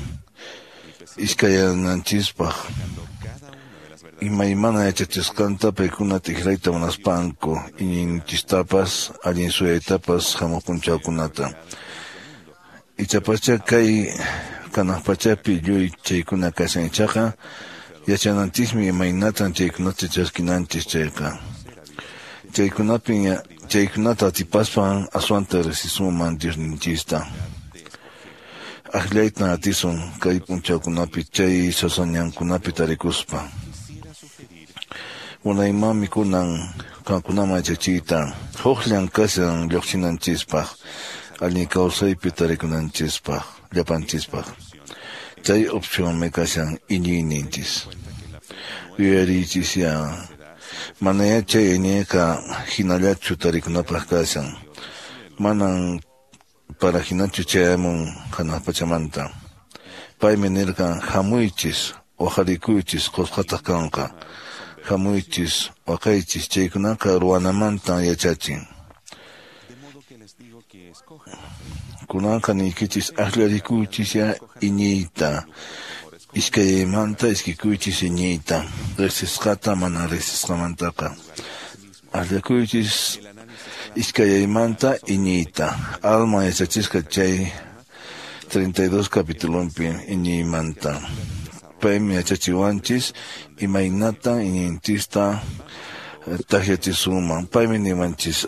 iskayananchispaq. Imaymana yachachisqanta paykuna tikrayta munaspanku iñinchistapas allin suyaytapas hamuq punchawkunata. Ichapacha kay kanaq pachapi lluy chaykuna kashan ichaqa yachananchismi imaynatan chaykunata chaskinanchis chayqa. Chaykunapin chaykunata atipaspan aswanta riqsisunman Diosninchista. Akllaytan atisun kay punchawkunapi chay sasañankunapi tarikuspa. Munaymanmi kunan qankunaman yachachiyta huqllan kashan lluqsinanchispaq allin kawsaypi tarikunanchispaq llapanchispaq. Chay opcionmi kashan iñiyninchis. Yuyariychisya manayá chay iñiyqa hinallachu tarikunapaq kashan. Manan para hinachu chayamun hanaq pachamanta. Paymi nirqan hamuychis waqarikuychis qusqataq kanqa. Hamuychis waqaychis chaykunaqa ruwanamantan yachachin. Kunanqa niykichis akllarikuychisya iñiyta. Iskaymanta iskikuychis iñiyta. Riqsisqata mana riqsisqamantaqa. Akllakuychis iskaymanta iñiyta. Alma yachachisqa chay treinta y dos capitulonpi iñiymanta. Paymi yachachiwanchis imaynatan iñinchista takyachisunman. Paymi niwanchis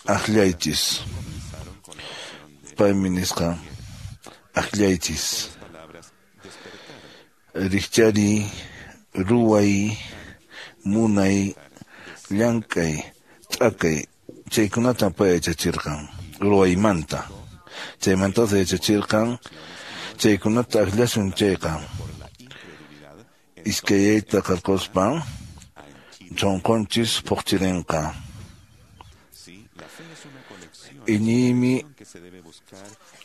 akllaychis. Paymi nisqa akllaychis. Rikchariy, ruway, munay, llank'ay, t'akay. Chaykunatan pay yachachirqan ruwaymanta. Chaymantataq yachachirqan chaykunata akllasun chayqa. Iskayayta qarquspa chunqunchis phuqchirinqa. Iñiymi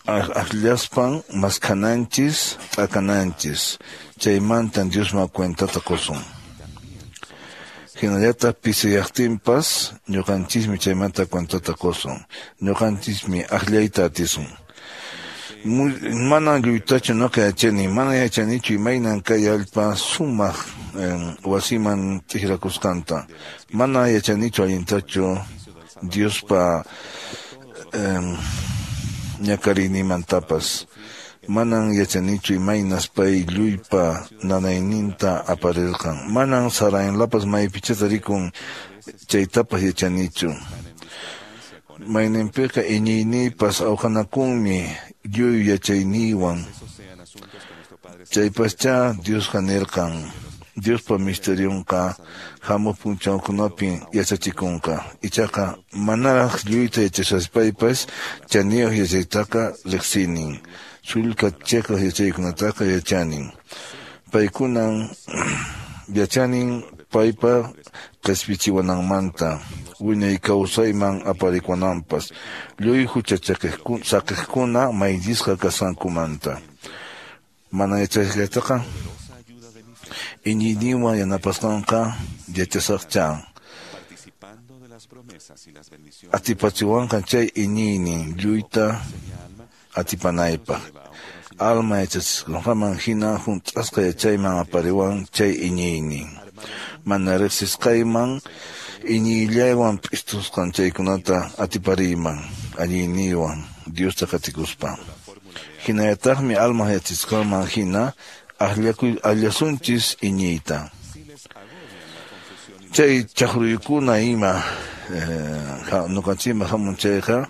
akllaspan maskhananchis t'akananchis. Chaymantan Diosman cuentata qusun. Hinallataq pisiyaqtinpas ñuqanchismi chaymanta cuentata qusun. Ñuqanchismi akllayta atisun. Manan lluytachu ñuqa yachani, mana yachanichu imaynan kay allpa sumaq wasiman tikrakusqanta. Mana yachanichu allintachu Diospa ñak'ariyninmantapas. Manan yachanichu imaynas pay lluypa nanayninta aparirqan. Manan saraynlapas maypichá tarikun chaytapas yachanichu. Mayninpiqa iñiyniypas awqanakunmi lluy yachayniywan. Chaypaschá Diosqa nirqan Diospa misterionqa hamuq p'unchawkunapi yachachikunqa. Ichaqa manaraq lluyta yachashaspaypas chaniyuq yachaytaqa riqsinin. Sullka chiqaq yachaykunataqa yachanin. Paykunan yachanin paypa qhispichiwananmanta wiñay kawsayman aparikuananpas lluy hucha saqiqkuna mayllisqa kasqankumanta. Mana yachasqaytaqa iñiyninwan yanapasqanqa yachasaqcha. Atipachiwanqa chay iñiynin lluyta atipanaypaq. Alma yachachisqanman hina hunt'asqa yachayman apariwan chay iñiynin. Mana riqsisqayman iñiyllaywan p'istusqan chaykunata atipariyman alliyniywan Diosta qatikuspa. Hinallataqmi alma yachachisqanman hina akllakuy akllasunchis iñiyta. Chay chaqruykuna ima ñuqanchikman hamun chayqa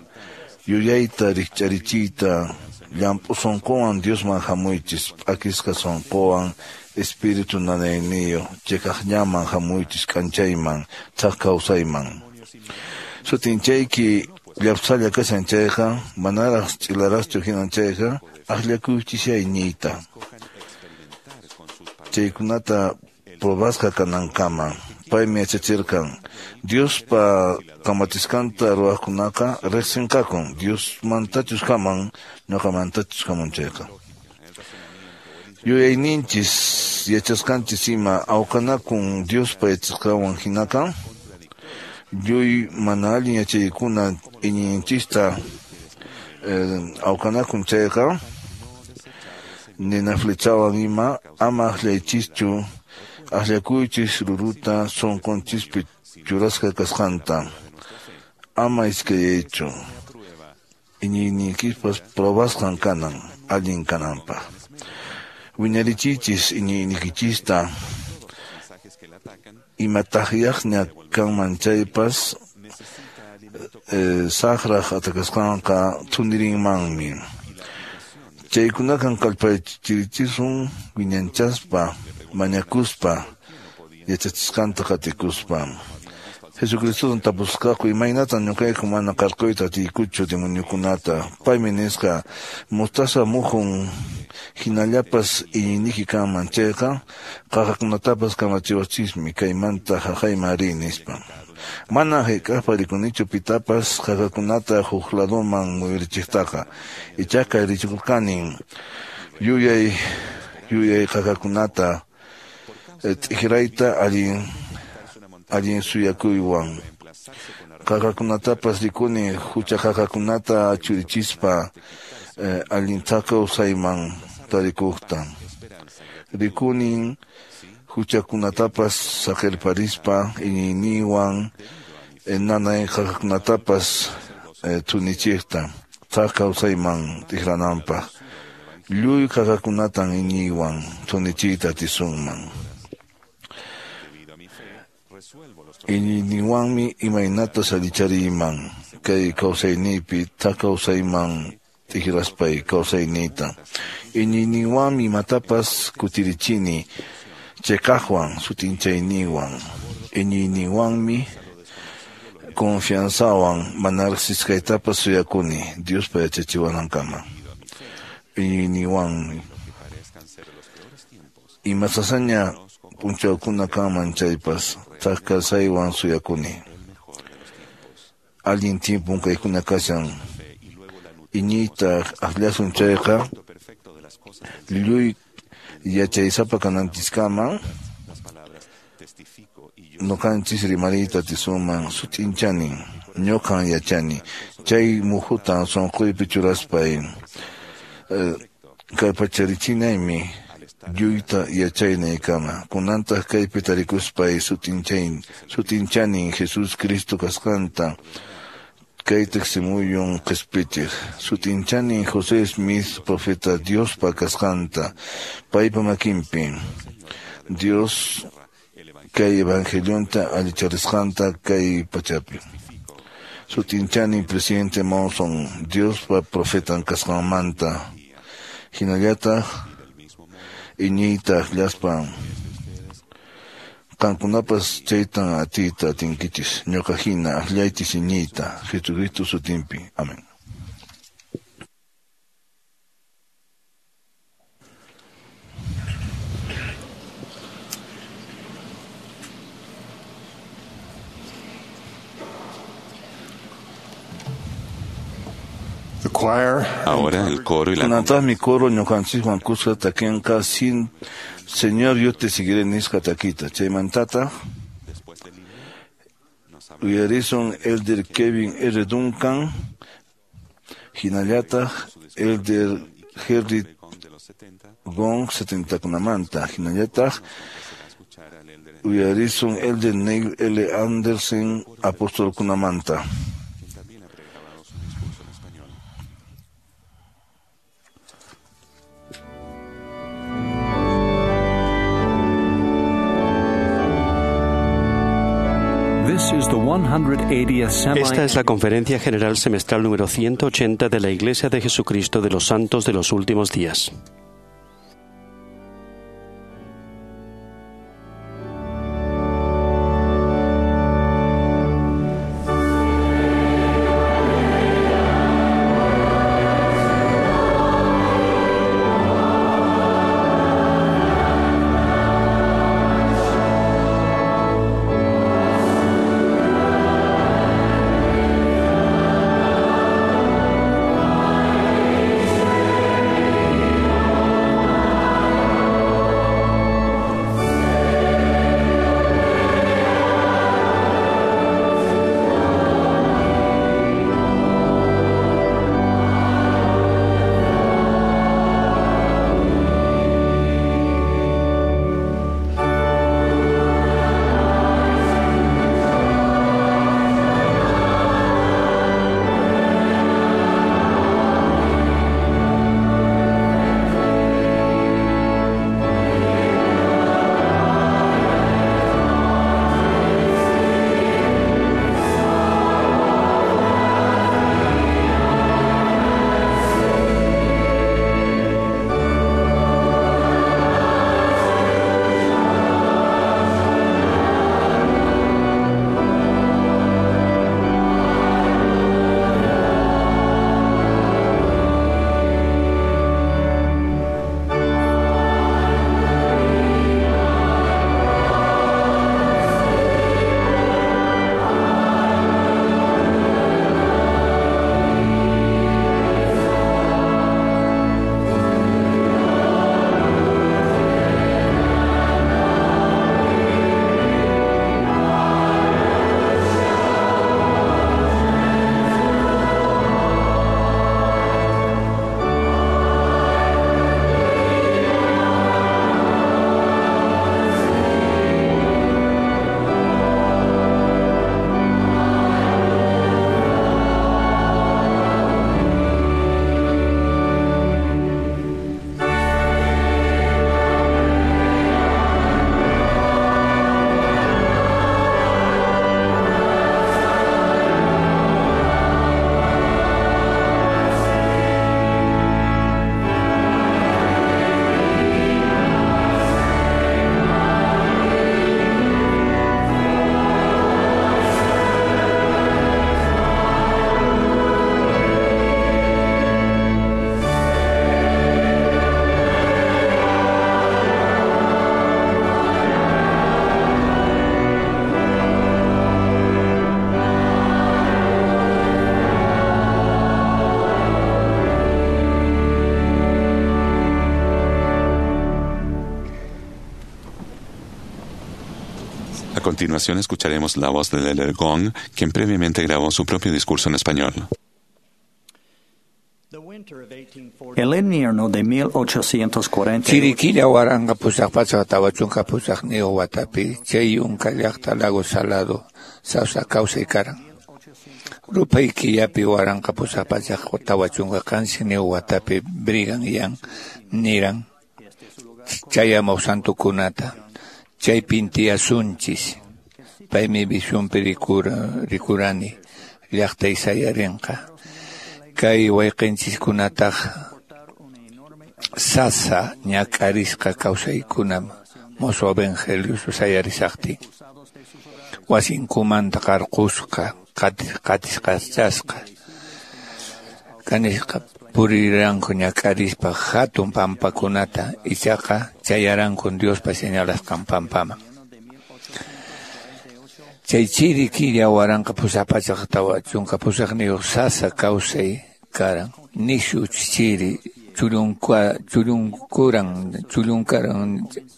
yuyayta rikch'arichiyta llamp'u sunquwan Diosman hamuychis p'akisqa sunquwan espíritu nanayniyuq chiqaqllaman hamuychis k'anchayman thak kawsayman. Sutinchayki llapsalla kashan chayqa manaraq ch'ilaraqchu hinan chayqa akllakuychisya iñiyta. Chaykunata probasqa kanankama paymi yachachirqan Diospa kamachisqanta ruwaqkunaqa riqsinqakun Diosmantachus haman ñuqamantachus hamun chayqa. Yuyayninchis yachasqanchis ima awqanakun Diospa yachasqanwan hinaqa lluy mana allin yachaykuna iñiyninchista awqanakun chayqa nina flechawan ima ama akllaychischu akllakuychis ruruta sunqunchispi churasqa kasqanta ama iskayaychu iñiyniykispas probasqan kanan allin kananpaq. Wiñarichiychis iñiynikichista imataqyaqña kanman chaypas saqraq atakasqanqa thunirinmanmi. Chaykunakan kallpachirichisun wiñanchaspa mañakuspa yachachisqanta qatikuspa. Jesucristotan tapusqaku imaynatan ñuqayku mana qarquyta atiykuchu demoniokunata. Paymi nisqa mostaza muhun hinallapas iñiyniyki kanman chayqa qaqakunatapas kamachiwachismi kaymanta haqayman riy nispa. Mana hayk'aqpa rikunichu pitapas qaqakunata huk ladoman muyurichiqtaqa. Ichaqa rikurqanin yuyay yuyay qaqakunata t'ikrayta allin allin suyakuywan. Qaqakunatapas rikuni hucha qaqakunata churichispa allin kawsayman tarikuqta. Rikunin huchakunatapas saqirparispa iñiyninwan nanay qaqakunatapas thunichiqta thak kawsayman tikrananpaq. Lluy qaqakunatan iñiywan thunichiyta atisunman. Iñiyninwanmi imaynata allichariyman kay kawsayniypi thak kawsayman tikraspay kawsayniyta. Iñiyninwanmi imatapas kutirichini chiqaqwan sutinchayninwan. Iñiyninwanmi confianzawan mana riqsisqaytapas suyakuni Diospa yachachiwanankama. Iñiyninwanmi ima sasaña p'unchawkuna kanman chaypas thak kawsaywan suyakuni. Allin tiempon kaykuna kashan iñiyta akllasun chayqa lluy yachaysapa kananchiskama ñuqanchis rimariyta atisunman sut'inchanin ñuqan yachani chay muhutan sunquypi churaspay kallpacharichinaymi lluyta yachaynaykama. Kunantaq kaypi tarikuspay sut'inchayn sut'inchanin Jesus Cristo kasqanta kay tiqsimuyun qispichiq. Sut'inchanin José Smith profeta Diospa kasqanta paypa makinpi Dios kay evangelionta allicharisqanta kay pachapi. Sut'inchanin presidente Monson Diospa profetan kasqanmanta hinallataq iñiyta akllaspa Qankunapas chaytan atiyta atinkichis, ñuqa hina akllaychis iñiyta, Jesucristo sutinpi. Amén. Ahora el coro y la Kunantaqmi coro ñuqanchikwan kuska takinqa sin Señor yo te seguiré nisqa takita. Chaymantataq uyarisun Elder Kevin R. Duncan, hinallataq Elder Harry Gong setentakunamanta, hinallataq uyarisun Elder Neil L. Andersen apostolkunamanta. Esta es la Conferencia General Semestral número ciento ochenta de la Iglesia de Jesucristo de los Santos de los Últimos Días. A continuación escucharemos la voz de Elder Gong, quien previamente grabó su propio discurso en español. El invierno de mil ochocientos cuarenta. Chiriquilla waranqa pusaq pachak tawa chunka pusaq niyuq watapi chay yunka llaqta Lago Salado sawsa kawsay karan. Rupay killapi waranqa pusaq pachak tawa chunka qanchis niyuq watapi Brigham Young niran chayamuq santukunata chaypin tiyasunchis paymi visionpi rikurani llaqtay sayarinqa. Kay wayqinchiskunataq sasa ñak'arisqa kawsaykunam Mosuq evangelio sayarisaqtin wasinkumanta qarqusqa qatisqachasqa kanisqa puriranku ñak'arispa hatun pampakunata ichaqa chayaranku Diospa señalasqan pampaman. Chay chiri killa waranqa pusaq pachak tawa chunka pusaqniyuq sasa kawsay karan nishu chiri chullunkuran chullunkaran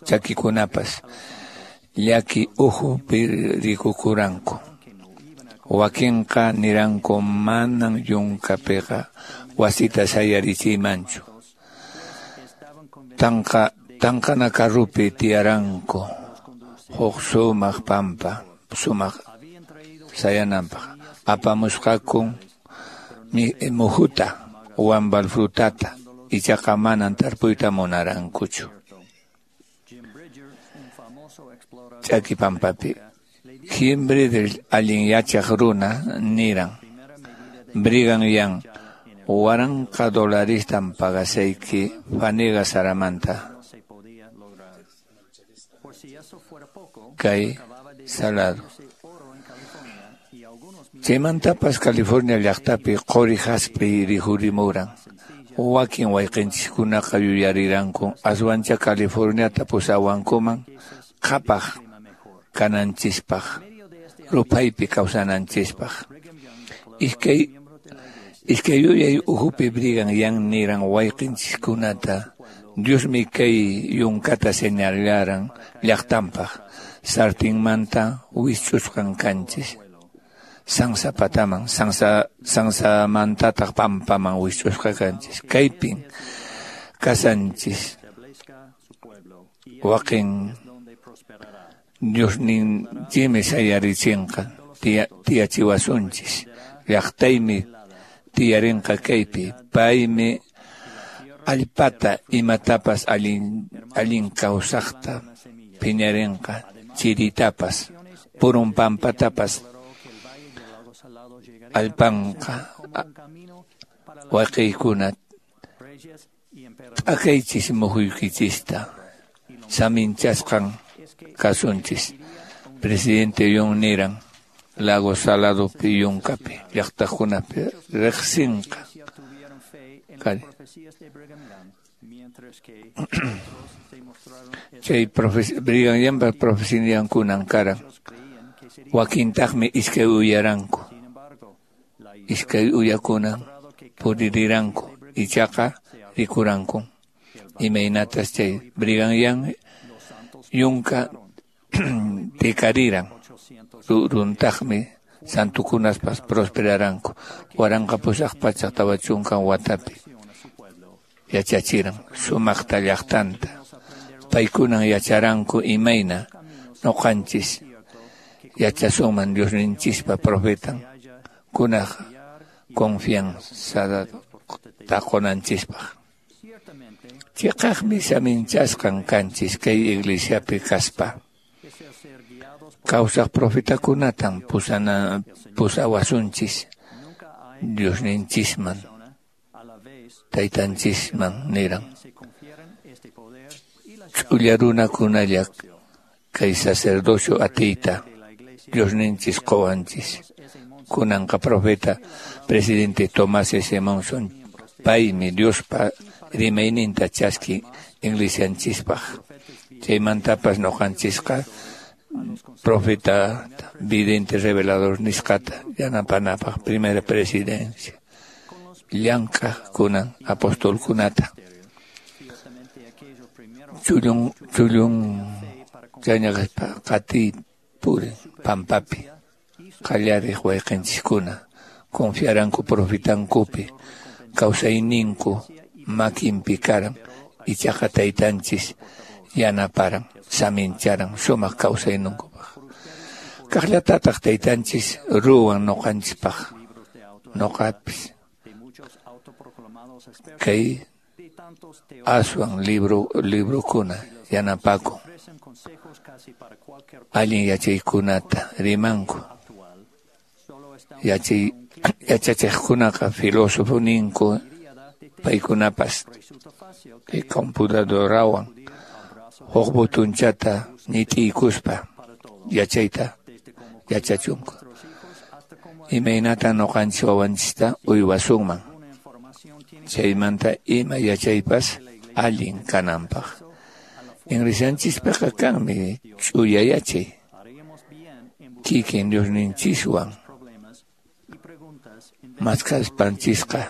chakikunapas llaki uhupi rikukuranku. Wakinqa niranku manan yunkapiqa wasita sayarichiymanchu. Tanqa tanqana karrupi tiyaranku huk sumaq pampa sumaq sayananpaq apamusqaku muhuta wambal frutata ichaqa manan tarpuyta munarankuchu. Ch'aki pampapi Jim Bridger allin yachaq runa niran Brigham Young waranqa dolaristan pagasayki Faniga Saramanta kay Salado. Chaymantapas California llaqtapi quri haspi rikhurimuran. Wakin wayqinchiskunaqa yuyariranku aswancha Californiata pusawankuman qhapaq kananchispaq ruphaypi kawsananchispaq. Iskay iskay yuyay uhupi Brigham Young niran wayqinchiskunata Diosmi kay yunkata señalaran llaqtanpaq sartinmanta wisch'usqan kanchis sansa pataman sansa sansamantataq pampaman wisch'usqa kanchis kaypin kasanchis waqin Diosninchikmi sayarichinqa tiyachiwasunchis llaqtaymi tiyarinqa kaypi paymi allpata imatapas allin allin kawsaqta phiñarinqa chiritapas purun pampatapas allpanqa wayqiykuna t'akaychis muhuykichista saminchasqan kasunchis. Presidente Young niran Lago Saladopi yunkapi llaqtakunapi riqsinqa. Chay Brigham Youngpa profeciankunan karan wakintaqmi iskay uyaranku iskay uyakunan puririranku ichaqa rikuranku imaynatas chay Brigham Young yunka tikariran ruruntaqmi santukunaspas prosperaranku waranqa pusaq pachak tawa chunka watapi yachachiran sumaqta llaqtanta paykunan yacharanku imayna nuqanchis yachasunman Diosninchispa profetan kunaq confianza taqunanchispaq. Chiqaqmi saminchasqan kanchis kay iglesiapi kaspa kawsaq profetakunatan pusana pusawasunchis Diosninchisman taytanchisman niran ch'ulla runakunalla kay sacerdocio atiyta Diosninchis quwanchis. Kunanqa profeta presidente Tomás S. Monson paymi Diospa rimayninta chaski iglesianchispaq chaymantapas nuqanchisqa profeta vidente revelador nisqata yanapanapaq primera presidencia llank'aq kunan apostolkunata chullun chullun chañaqaspa qatiy purin pampapi qallariq wayqinchiskuna confiaranku profetankupi kawsayninku makinpi karan ichaqa taytanchis yanaparan samincharan sumaq kawsayninkupaq kaqllatataq taytanchis ruwan nuqanchispaq nuqapis kay aswan libro librokuna yanapakun allin yachaykunata rimanku yachay yachachiqkunaqa filósofo ninku paykunapas kay computadorawan Huk butunchata ñit'iykuspa yachayta yachachunku. Imaynatan ñuqanchis wawanchista uywasunman. Chaymanta ima yachaypas allin kananpaq. Iglesianchispiqa kanmi ch'uya yachay. Kikin Diosninchiswan maskaspanchisqa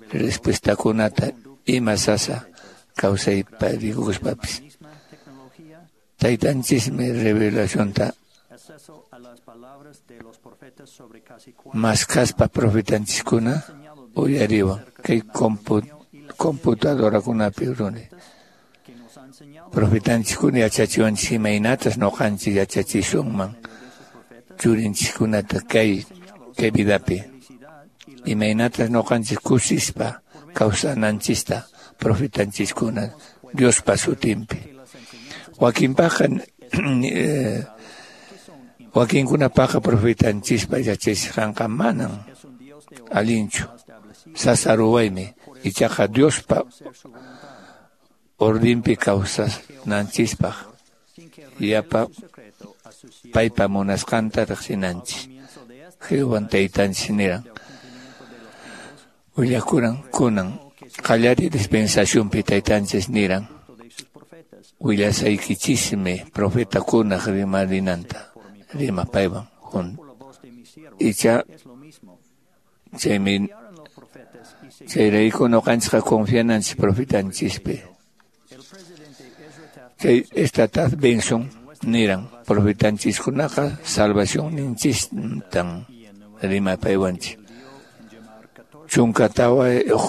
respuestakunata ima sasa kawsaypa rikukuspapis. Taytanchismi revelacionta maskaspa profetanchiskuna uyariwan kay computadorakunapi runi. Profetanchiskuna yachachiwanchis imaynatas ñuqanchis yachachisunman churinchiskunata kay kay vidapi. Imaynatas ñuqanchis kusispa kawsananchista profetanchiskuna Diospa sutinpi. Wakinpaqqa wakinkunapaqqa profetanchispa yachachisqanqa manan allinchu. Sasa ruwaymi ichaqa Diospa ordinpi kawsananchispaq yapa paypa munasqanta riqsinanchis. Jehovan taytanchis niran willakuran kunan qallariy dispensacionpi taytanchis niran willasaykichismi profetakunaq rimarinanta rima paywan junto. Icha chaymi chayrayku ñuqanchikqa confiananchis profetanchispi. Chay esta Benson niran profetanchiskunaqa salvacionninchistan rimapaywanchis. Chunka tawayuq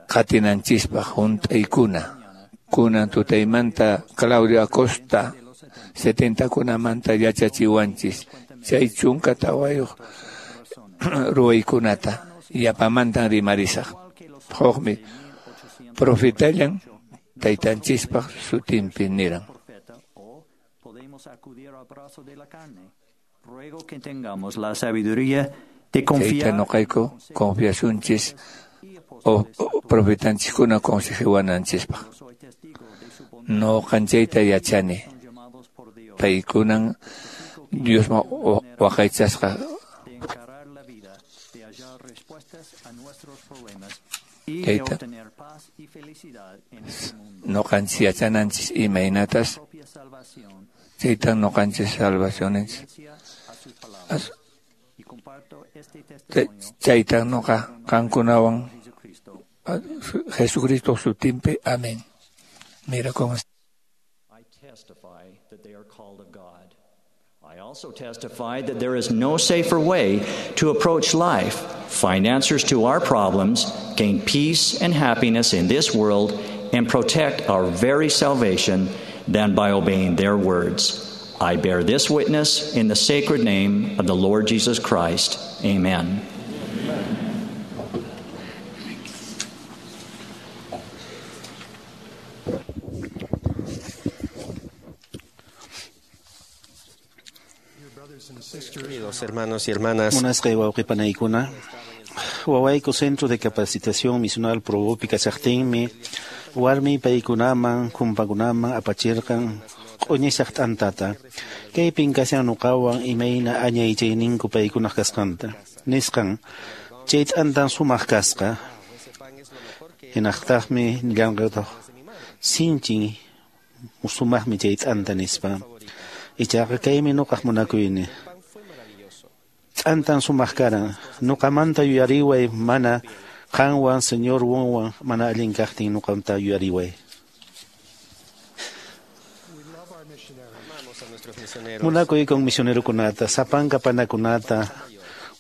qatinanchispaq hunt'aykuna. Kunan tutaymanta Claudio Acosta setentakunamanta yachachiwanchis chay chunka tawayuq ruwaykunata yapamantan rimarisaq. Hukmi profetallan taytanchispaq sutinpi niran. Chayta ñuqayku confiasunchis o profetanchiskuna consejewananchispaq. Ñuqanchayta yachani. Paykunan Diosman waqaychasqa. Chayta ñuqanchis yachananchis imaynatas chaytan ñuqanchis salvacioninchis. Chaytan ñuqa qankunawan Jesucristo sutinpi. Amén. Mira cómo I testify that they are called of God. I also testify that there is no safer way to approach life, find answers to our problems, gain peace and happiness in this world, and protect our very salvation than by obeying their words. I bear this witness in the sacred name of the Lord Jesus Christ. Amen. Queridos hermanos y hermanas, Munasqay wawqipanaykuna, wawayku Centro de Capacitación Misional Probopi kachaqtinmi warmi paykunaman kumpakunaman apachirqan q'uñisaq t'antata. Kaypin kashan nuqawan imayna añaychayninku paykunaq kasqanta. Nisqan chay t'antan sumaq kasqa. Hinaqtaqmi nillanqataq sinchin sumaqmi chay t'anta nispa. Ichaqa kaymi nuqaq munakuyni. T'antan sumaq karan. Nuqamanta yuyariway mana qanwan Señor wonwan mana allin kaqtin nuqamta yuyariway. Munakuykun misionerokunata, sapanka panakunata,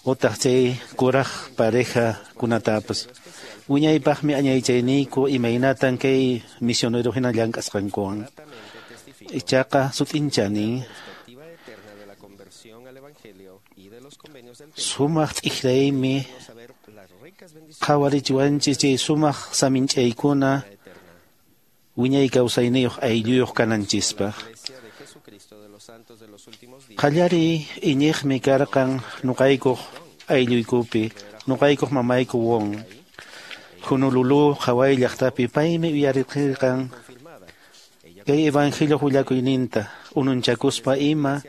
utaq chay kuraq pareja kunatapas. Wiñaypaqmi añaychayniyku imaynatan kay misionero hina llank'asqankuwan. Ichaqa sut'inchani sumaq t'ikraymi qhawarichiwanchis chay sumaq saminch'aykuna wiñay kawsayniyuq aylluyuq kananchispaq. Qallariy iñiqmi karqan nuqaykuq aylluykupi, nuqaykuq mamayku won. Honolulu Hawái llaqtapi paymi uyarirqan Kay evangelio willakuyninta ununchakuspa ima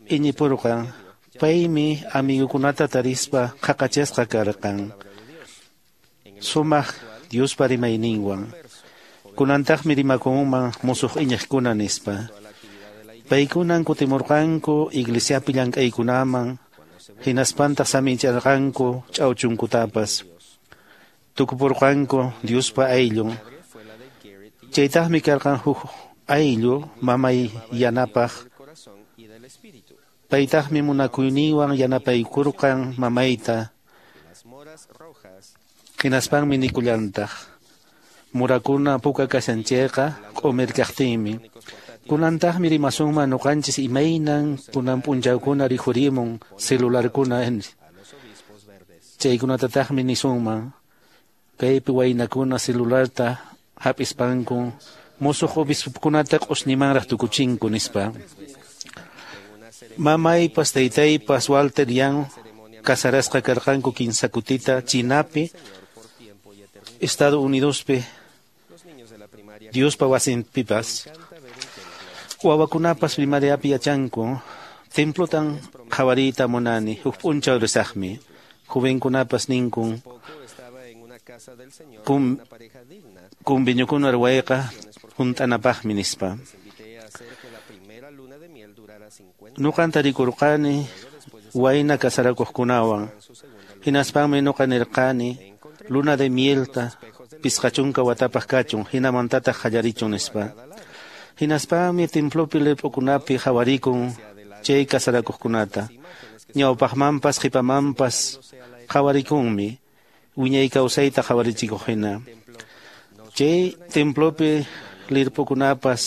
iñipurqan. Paymi amigukunata tarispa qhaqachasqa karqan. Sumaq Diospa rimayninwan. Kunantaqmi rimakunman musuq iñiqkuna nispa. Paykunan kutimurqanku iglesiapi llank'aykunaman, hinaspantaq samincharqanku ch'awchunkutapas. Tukupurqanku Diospa ayllun. Chaytaqmi karqan huk ayllu mamay yanapaq. Paytaqmi munakuyninwan yanapaykurqan mamayta. Hinaspanmi nikullantaq. Murakuna puka kashan chayqa q'umir kaqtinmi. Kunantaqmi rimasunman ñuqanchis imaynan kunan p'unchawkuna rikhurimun celularkuna. Chaykunatataqmi nisunman. Kaypi waynakuna celularta hap'ispanku musuq obispokunata q'usñimanraq tukuchinku nispa. Mamaypas taytaypas Walter Young casarasqa karqanku kinsa kutita Chinapi, Estados Unidospi, Diospa wasinpipas. Wawakunapas primariapi yachanku, templotan qhawariyta munani, huk p'unchaw risaqmi. Jovenkunapas ninkun, kum, kunviñukuna ruwayqa hunt'anapaqmi nispa. Nuqan tarikurqani wayna kasarakuqkunawan. Hinaspanmi nuqa nirqani luna de mielta pisqa chunka watapaq kachun, hinamantataq qallarichun nispa. Hinaspanmi templopi lirp'ukunapi qhawarikun chay kasarakuqkunata. Ñawpaqmanpas qhipamanpas qhawarikunmi wiñay kawsayta qhawarichikuq hina. Chay templopi lirp'ukunapas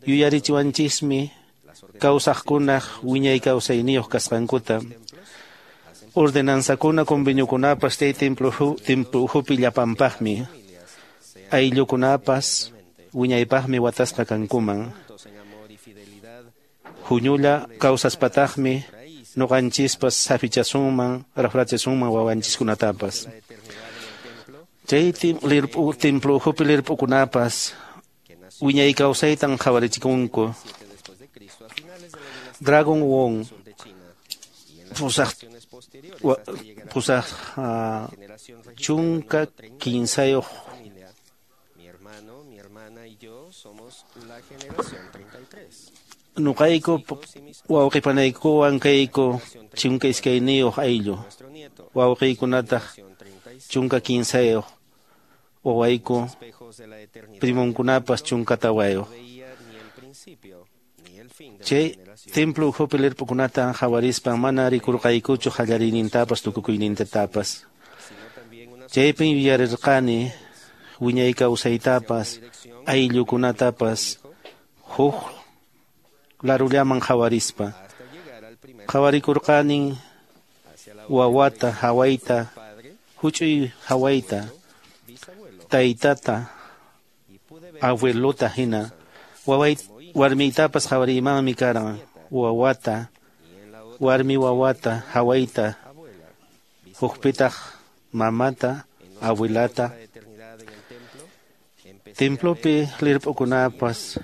yuyarichiwanchismi kawsaqkunaq wiñay kawsayniyuq kasqankuta. Ordenanzakuna conveniokunapas chay templo templo ukhupi llapanpaqmi. Ayllukunapas wiñaypaqmi watasqa kankuman. Huñulla kawsaspataqmi ñuqanchispas safichasunman, rafrachasunman wawanchiskunatapas. Chay lirp'u templo ukhupi lirp'ukunapas wiñay kawsaytan qhawarichikunku. Dragon Wong pusaq pusaq chunka kinsayuq nuqayku wawqipanaykuwan kayku chunka iskayniyuq ayllu, wawqiykunataq chunka kinsayuq, wawayku primunkunapas chunka tawayuq. Chay templo ukhupi lirp'ukunata qhawarispan mana rikurqaykuchu qallariynintapas tukukuynintapas. Chaypin yuyarirqani wiñay kawsaytapas ayllukunatapas huk larullaman qhawarispa. Qhawarikurqanin wawata, hawayta, huch'uy hawayta, taytata, abuelota hina. Waway warmiytapas qhawariymanmi karan wawata, warmi wawata, hawayta, hukpitaq mamata, abuelata. Templopi lirp'ukunapas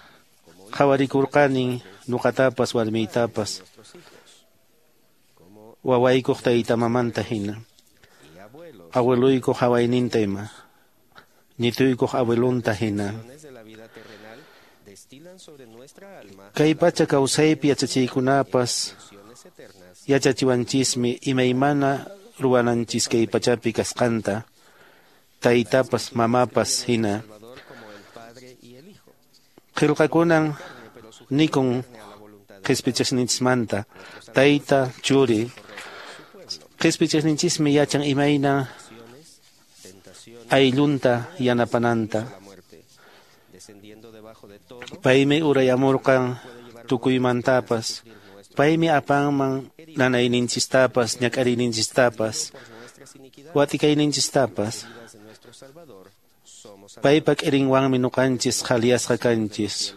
qhawarikurqanin nuqatapas warmiytapas wawaykuq tayta mamanta hina, abueluykuq hawayninta ima, ñituykuq abuelunta hina. Kay pacha kawsaypi yachachiykunapas yachachiwanchismi imaymana ruwananchis kay pachapi kasqanta, taytapas mamapas hina. Qillqakunan nikun qhispichasninchismanta, tayta, churi. Qhispichasninchismi yachan imayna ayllunta yanapananta. Paymi urayamurqan tukuymantapas, paymi apanman nanayninchistapas, ñak'ariyninchistapas, watikayninchistapas. Paypa k'irinwanmi ñuqanchis qhaliyasqa kanchis.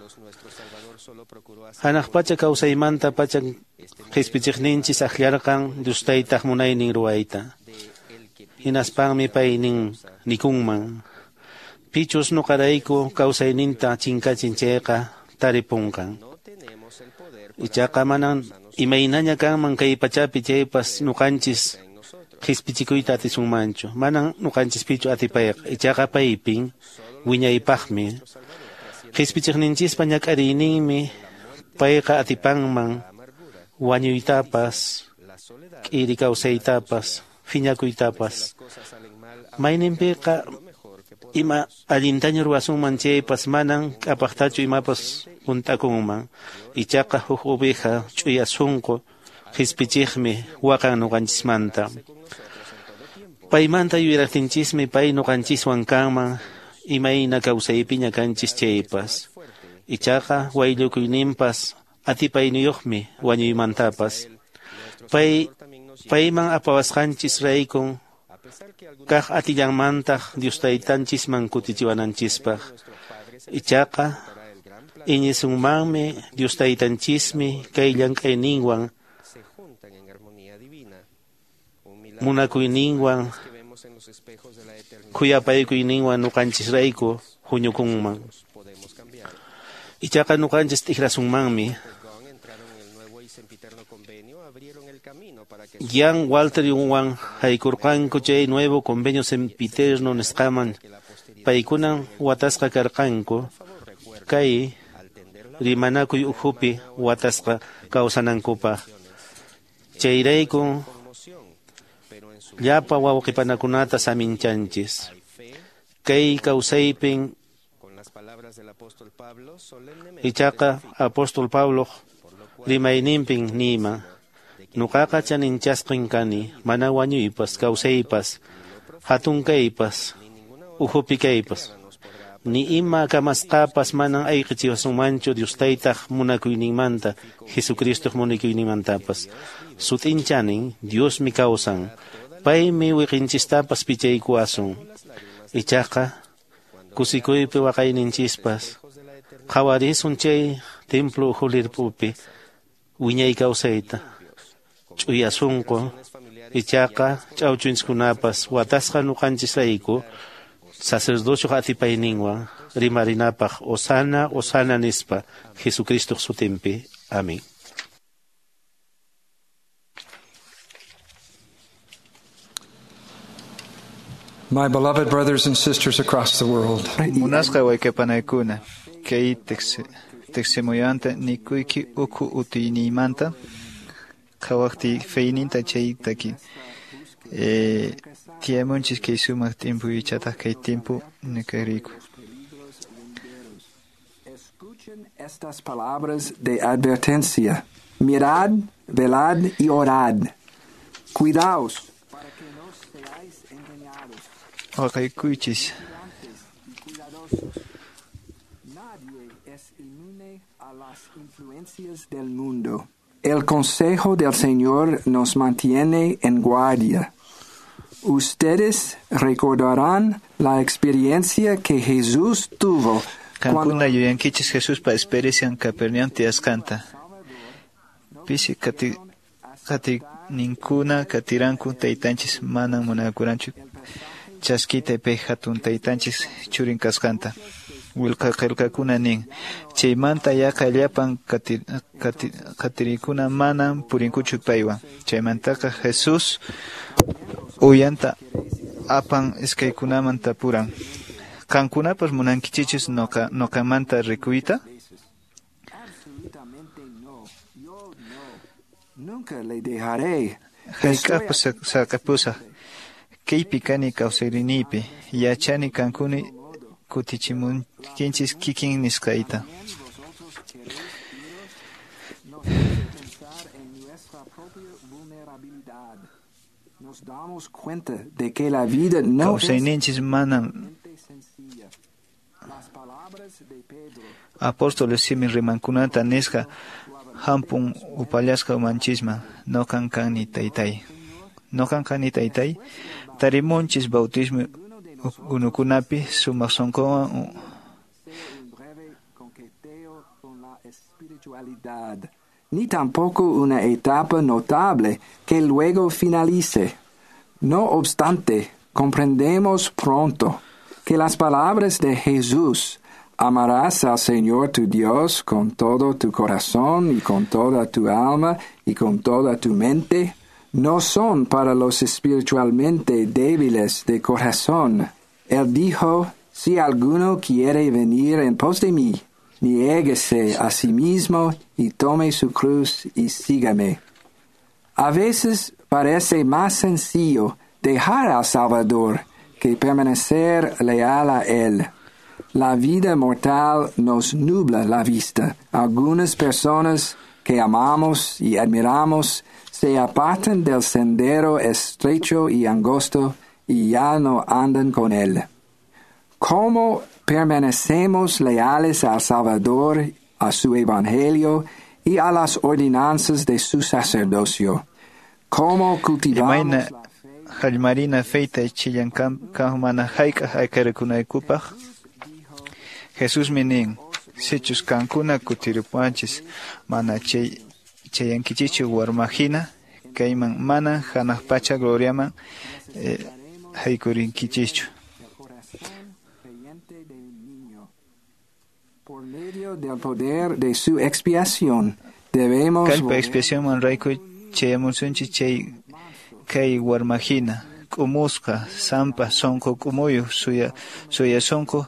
Hanaq pacha kawsaymanta pacha qhispichiqninchis akllarqan Dios taytaq munaynin ruwayta. Hinaspanmi pay nin nikunman. Pichus nuqarayku kawsayninta chinkachin chayqa taripunqan. Ichaqa manan imaynaña kanman kay pachapi chaypas nuqanchis qispichikuyta atisunmanchu. Manan nuqanchispichu atipayqa, ichaqa paypin wiñaypaqmi. Qispichiqninchispa ñak'ariyninmi payqa atipanman wañuytapas, k'iri kawsaytapas, phiñakuytapas. Mayninpiqa ima allintaña ruwasunman chaypas manan k'apaqtachu imapas hunt'akunman. Ichaqa huk oveja ch'uya sunqu qispichiqmi waqan nuqanchismanta. Paymanta yuyaraqtinchismi pay nuqanchiswan kanman imayna kawsaypiña kanchis chaypas. Ichaqa wayllukuyninpas atipayniyuqmi wañuymantapas. Pay payman apawasqanchis raykun kaq atillanmantaq Dios taytanchisman kutichiwananchispaq. Ichaqa iñisunmanmi Dios taytanchismi kay llank'ayninwan munakuyninwan khuyapaykuyninwan nuqanchisrayku huñukunman. Ichaqa nuqanchis t'ikrasunmanmi. Jan Walter Wan haykurqanku chay nuevo convenio sempiterno nisqaman paykunan watasqa karqanku kay rimanakuy ukhupi watasqa kawsanankupaq. Chayrayku llapa wawqipanakunata saminchanchis. Kay kawsaypin ichaqa apóstol Pablo rimayninpin nima nuqaqa chaninchasqin kani mana wañuypas kawsaypas hatun kaypas ukhupi kaypas ni ima kamasqapas manan ayqichiwasunmanchu Dios taytaq munakuyninmanta Jesucristoq munakuyninmantapas. Sut'inchanin Diosmi kawsan paymi wiqinchistapas pichaykuwasun. Ichaqa kusikuypi waqayninchispas qhawarisun chay templo ukhulirpupi wiñay kawsayta ch'uya sunqu ichaqa ch'awchunchiskunapas watasqa nuqanchisrayku sacerdocioq atipayninwan rimarinapaq Hosana, Hosana nispa Jesucristoq sutinpi. Amén. My beloved brothers and sisters across the world. Munasqa wayqipanaykuna, kay tiqsimuyanta nikuyki ukhu utiyniymanta qhawaqtiy feyninta chay taki. Eh, tiyamunchis kay sumaq timpu ichataq kay timpu nikariku. Escuchen estas palabras de advertencia. Mirad, velad y orad. Cuidaos para que no seáis engañados. Waqaykuychis. Nadie es inmune a las influencias del mundo. El consejo del Señor nos mantiene en guardia. Ustedes recordarán la experiencia que Jesús tuvo cuando Qankuna yuyankichis Jesuspa experiencian Capernaum tiyasqanta. Pisi qati qatininkuna qatiranku taytanchis manan munakuranchu chaskita pay hatun taytanchis churin kasqanta. Willka qillqakuna nin chaymanta yaqa llapan qati, qati, qatirikuna manan purinkuchu paywan. Chaymantaqa Jesús uyanta apan iskaykunaman tapuran. Qankunapas munankichichis noqa noqamanta rikuyta? Absolutamente no. Yo no. Nunca le dejaré. Hayk'aqpas saqepusaq. Kaypi kani kawsayninpi yachani qankuni kutichimunkichis kikin nisqayta. Nos hace pensar en nuestra propia vulnerabilidad. Nos damos cuenta de que la vida no es Kawsayninchis manan sencilla. Las palabras de Pedro apóstoles simin rimankunata nisqa hampun upallasqa umanchisman noqan kani taytay. Noqan kani taytay tarimunchis bautismo unukunapi sumaq sunquwan un breve coqueteo con la espiritualidad, ni tampoco una etapa notable que luego finalice. No obstante, comprendemos pronto que las palabras de Jesús, amarás al Señor tu Dios con todo tu corazón y con toda tu alma y con toda tu mente, no son para los espiritualmente débiles de corazón. Él dijo, si alguno quiere venir en pos de mí, niéguese a sí mismo y tome su cruz y sígame. A veces parece más sencillo dejar al Salvador que permanecer leal a Él. La vida mortal nos nubla la vista. Algunas personas que amamos y admiramos se apartan del sendero estrecho y angosto y ya no andan con Él. ¿Cómo permanecemos leales al Salvador, a su Evangelio y a las ordenanzas de su sacerdocio? ¿Cómo cultivamos Imayna hallmarina feyta chillan kam mana hayk'aq ayqirikunaykupaq? Jesusmi nin, sichus kankuna kutiripuwanchis mana chay chayankichichu warmahina, kayman mana hanaq pacha gloriaman eh, haykurinkichichu. Por medio del poder de su expiación, debemos Kallpa expiacionman rayku chayamusunchis chay kay warmahina, k'umusqa, sampa, sunqu k'umuyuq, suya suya sunqu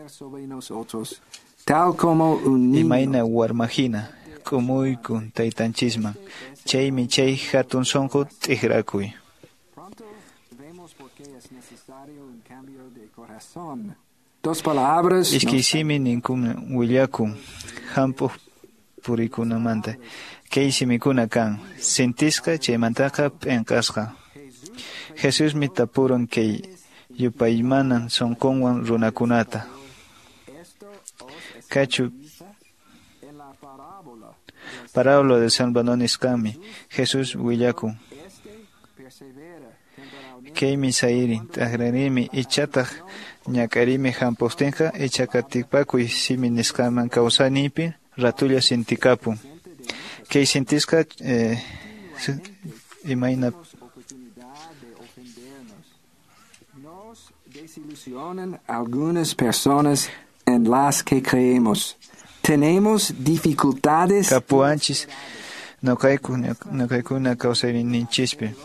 sobre nosotros, tal como un niño. Imayna warmahina, k'umuykun taytanchisman, chaymi chay hatun sunqu t'ikrakuy. Dos palabras Iskay simi ninkuna willakun hampuq purikunamanta. Kay simikuna kan, sintisqa chaymantaqa p'inqasqa. Jesusmi tapurun kay yupaymanan sunqunwan runakunata. Kachu parábola de San Banonisqami Jesús willakun. Kaymi sayri t'aqrarimi ichataq ñak'arimi hampuqtinqa ichaqa tipakuy simi nisqaman kawsayninpi ratulla sintikapun. Kay sintisqa eh, imayna desilusionan algunas personas en las que creemos. Tenemos dificultades kapuwanchis noqayku noqaykuna kawsayninchispi.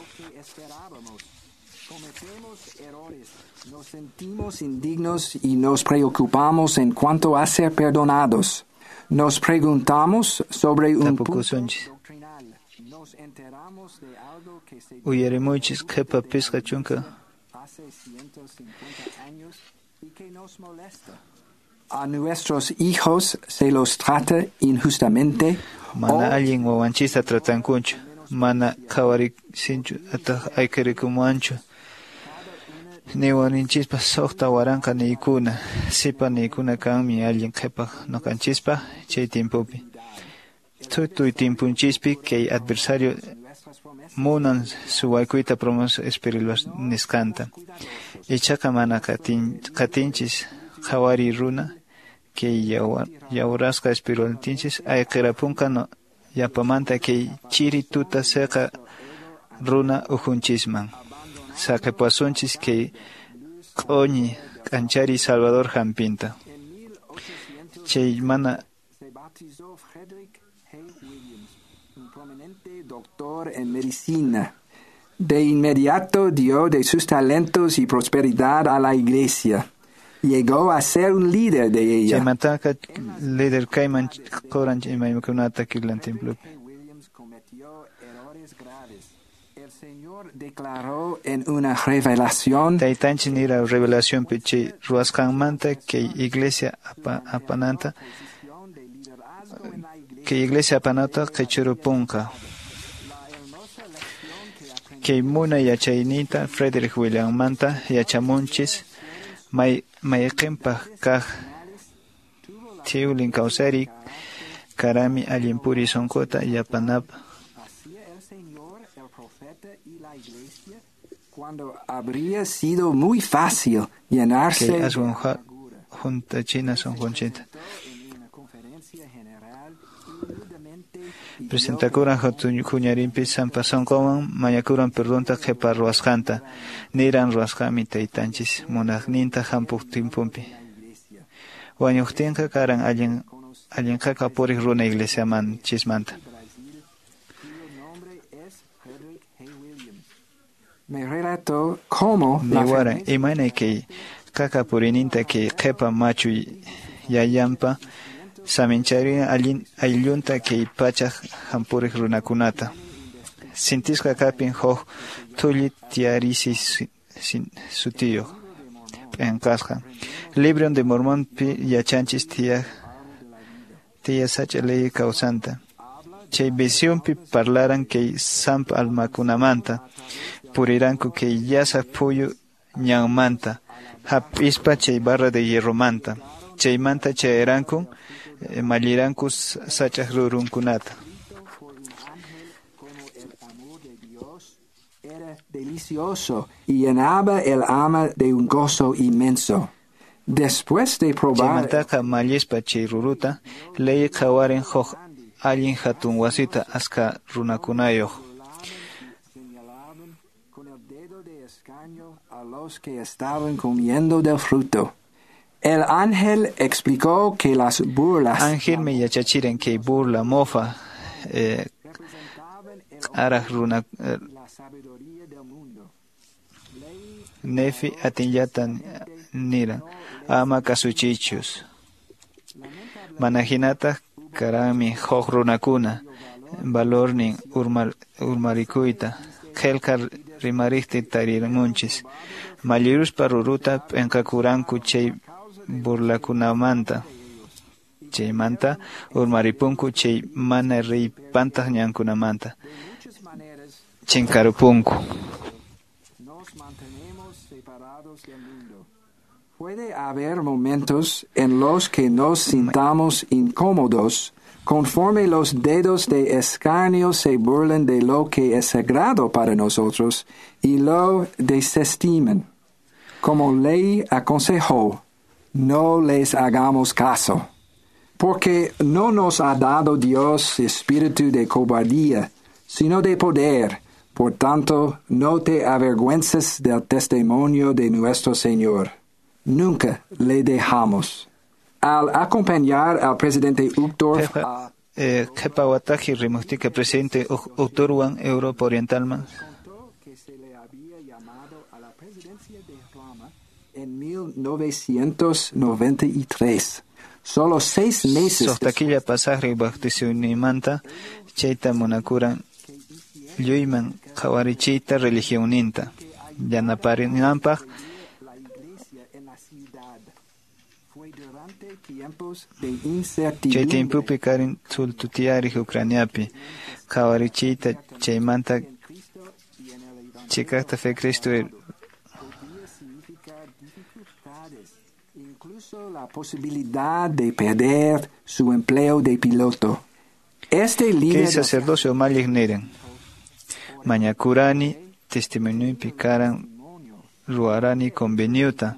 Nos sentimos indignos y nos preocupamos en cuanto a ser perdonados. Nos preguntamos sobre un punto Tapukusunchis. doctrinal. Nos enteramos de algo que se Uyarimuychis qhipa pisqa chunka hace ciento cincuenta años y que nos molesta. A nuestros hijos se los trata injustamente mana allin wawanchista tratankunchu, mana qhawarisinchu ataq ayqirikumuwanchu. Niwaninchispa suqta waranqa niykuna, sipa niykuna kanmi allin qhipaq nuqanchispaq chay timpupi. Tukuy timpunchispi kay adversario munan suwaykuyta promesa espiritual nisqanta. Ichaqa mana qatin, qatinchis qhawari runa kay yawrasqa espiritualtinchis ayqirapunqa no, yapamanta kay chiri tuta seqa runa ujunchisman. Saqipuwasunchis kay q'uñi k'anchari Salvador hampinta. Chay mana se bautizó Frederick Hay Williams, un prominente doctor en medicina. De inmediato dio de sus talentos y prosperidad a la iglesia. Llegó a ser un líder de ella. Chaymantaqa líder kayman quran imaymakunata killan templopi. Williams cometió errores graves. El Señor declaró en una revelación Taytanchis nira revelacionpi chay ruwasqanmanta kay iglesia apa, apananta kay iglesia apanata qichurupunqa. Kay munay yachaynita Frederick Williammanta yachamunchis may mayqinpaq kaq thiwlin kawsari karami allin puri sunquta yapanap. cuando habría sido muy fácil llenarse Kay aswan juntachina sunqunchita. Presentakuran huñarinpi sampa sunqunwan mañakuran perdonta qhipa ruwasqanta. Niran ruwasqami taytanchis munaqninta hampuq tiemponpi. Wañuqtinqa karan allin allinqaqa puriq runa iglesiaman chismanta. Me relató cómo la Niwaran imayna kay qaqa purininta kay qhipa machu yayampa saminchariran allin ayllunta kay pachaq hampuriq runakunata. Sintisqa kapin huk thulli tiyarisi sutiyuq p'inqasqa. Libro de Mormonpi yachanchis tiya tiya sach'a ley kawsanta. Chay visionpi parlaran kay sampa almakunamanta. Puriranku kay llasa phuyu ñanmanta. Hap'ispa chay barra de hierromanta. Chaymanta chayarankun malliranku sach'aq rurunkunata. Era delicioso y llenaba el alma de un gozo inmenso. Después de probar Chaymantaqa mallispa chay ruruta, ley qhawarin huk allin hatun wasita aska runakunayuq. A los que estaban comiendo del fruto. El ángel explicó que las burlas Angelmi yachachiran kay burla mofa eh, q'araq runa eh, Nefi atinllata niran ama kasuchichus. Mana hinataq karanmi huk runakuna valornin urmar, urmarikuyta qillqa rimariqti tariramunchis. Malliruspa ruruta p'inqakuranku chay burlakunamanta. Chaymanta urmaripunku chay mana riypantaq ñankunamanta. Chinkarupunku. Puede haber momentos en los que nos sintamos incómodos conforme los dedos de escarnio se burlen de lo que es sagrado para nosotros y lo desestimen. Como ley aconsejó, no les hagamos caso. Porque no nos ha dado Dios espíritu de cobardía, sino de poder. Por tanto, no te avergüences del testimonio de nuestro Señor. Nunca le dejamos. Al acompañar al presidente Uchtdorf a Qhipa wataji rimuqtika presidente Uchtdorfwan Europa Orientalman. En mil novecientos noventa y tres, solo seis meses Suqta killa pasaqri bautisonimanta chayta munakuran lluyman qhawarichiyta religionninta yanaparinanpaq. Chay tiempopi karin thultutiyariq Ucraniapi qhawarichiyta chaymanta chiqaqta fe Cristo incluso la posibilidad de perder su empleo de piloto. Este líder Kay sacerdocio umalliq niran mañakurani testimoniopi karan ruwarani conveniota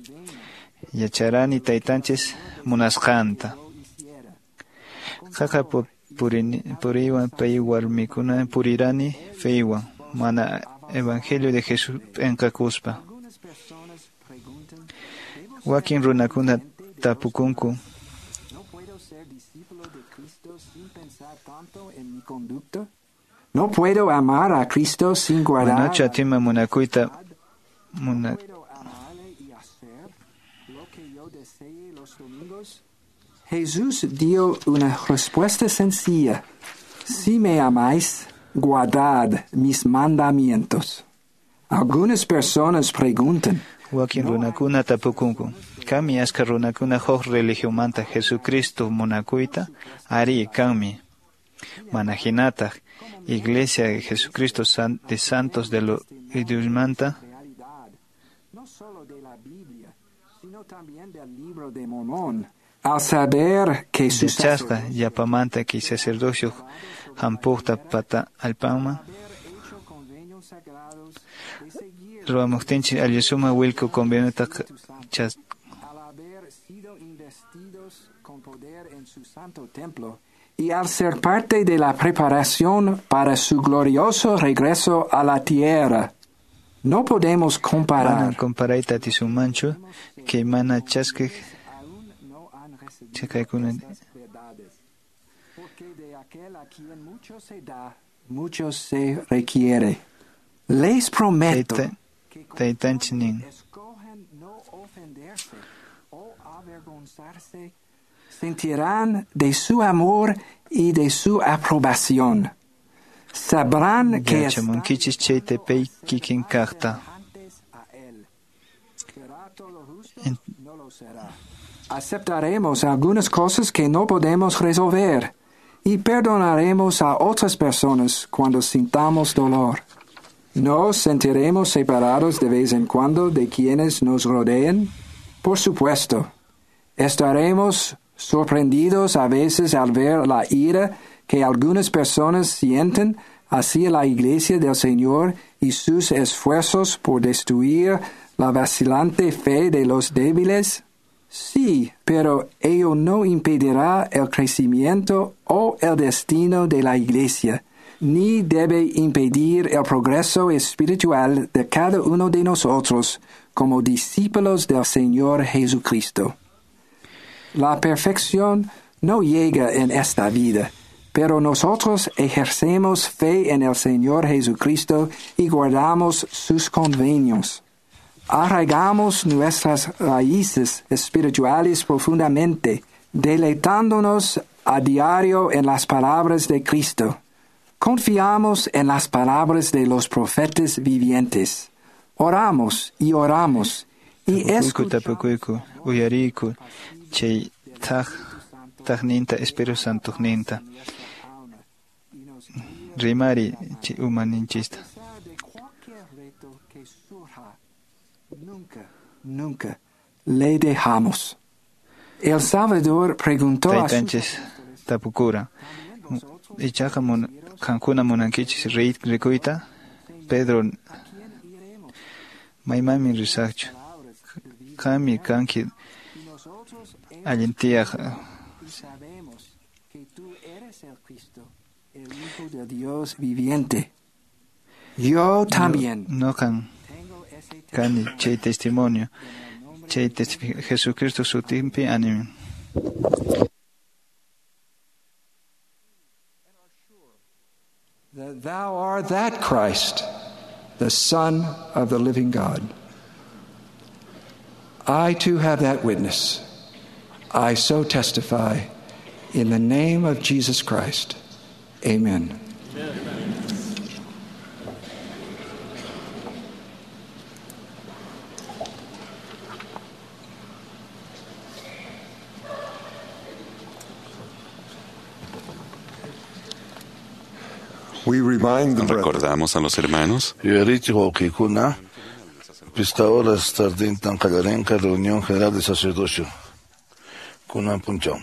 yacharani taytanchis munasqanta. Qaqa puriywan pay warmikuna purirani feywan mana evangelio de Jesús p'inqakuspa. Wakin runakuna tapukunku. No puedo amar a Cristo sin guardar. Manachu atinman munakuyta muna Jesús dio una respuesta sencilla. Si me amáis, guardad mis mandamientos. Algunas personas preguntan. Wakin runakuna tapukunku. Kanmi aska runakuna huk religionmanta Jesucristo munakuyta? Ari, kanmi. Mana hinataq Iglesia de Jesucristo de Santos de los Diosmanta. No solo de la Biblia, sino también del libro de Mormón. Al saber que su Yachasqa yapamanta kay sacerdocio hampuqta pata allpanman ruwamuqtinchik allisuma willku conveniota chas al haber sido investidos con poder en su santo templo y al ser parte de la preparación para su glorioso regreso a la tierra. No podemos comparar. Manan comparayta atisunmanchu kay mana chaskiq chakaykuna. Porque de aquel a quien mucho se da, mucho se requiere. Les prometo Taytanchik nin. no ofenderse o avergonzarse, sentirán de su amor y de su aprobación. Sabrán que Yachamunkichis chay tepey kikin kaqta. Aceptaremos algunas cosas que no podemos resolver y perdonaremos a otras personas cuando sintamos dolor. ¿Nos sentiremos separados de vez en cuando de quienes nos rodeen? Por supuesto. Estaremos sorprendidos a veces al ver la ira que algunas personas sienten hacia la Iglesia del Señor y sus esfuerzos por destruir la vacilante fe de los débiles. Sí, pero ello no impedirá el crecimiento o el destino de la Iglesia, ni debe impedir el progreso espiritual de cada uno de nosotros como discípulos del Señor Jesucristo. La perfección no llega en esta vida, pero nosotros ejercemos fe en el Señor Jesucristo y guardamos sus convenios. Arraigamos nuestras raíces espirituales profundamente, deleitándonos a diario en las palabras de Cristo. Confiamos en las palabras de los profetas vivientes. Oramos y oramos y Tapukuyku, tapukuyku, uyariyku chay thaq thaqninta Espíritu Santoqninta. Rimari chay umaninchista. Nunca, nunca le dejamos. El Salvador preguntó a sus Taytanchis tapukura. Ichaqa mun, qankuna munankichis rikuyta? Pedro, maymanmi risaqchu? Qammi kanki allin tiyaq. Sabemos que tú eres el Cristo, el Hijo de Dios viviente. Yo también. Noqan kani chay testimonio, chay testific Jesucristo sutinpi animin. That thou art that Christ, the Son of the living God. I too have that witness. I so testify in the name of Jesus Christ. Amen. Amen. Recordamos a los hermanos Yuyarichik wawqiykuna, pishqa horas tardintan qallarinqa reunión general de sacerdocio. Kunan punchaw.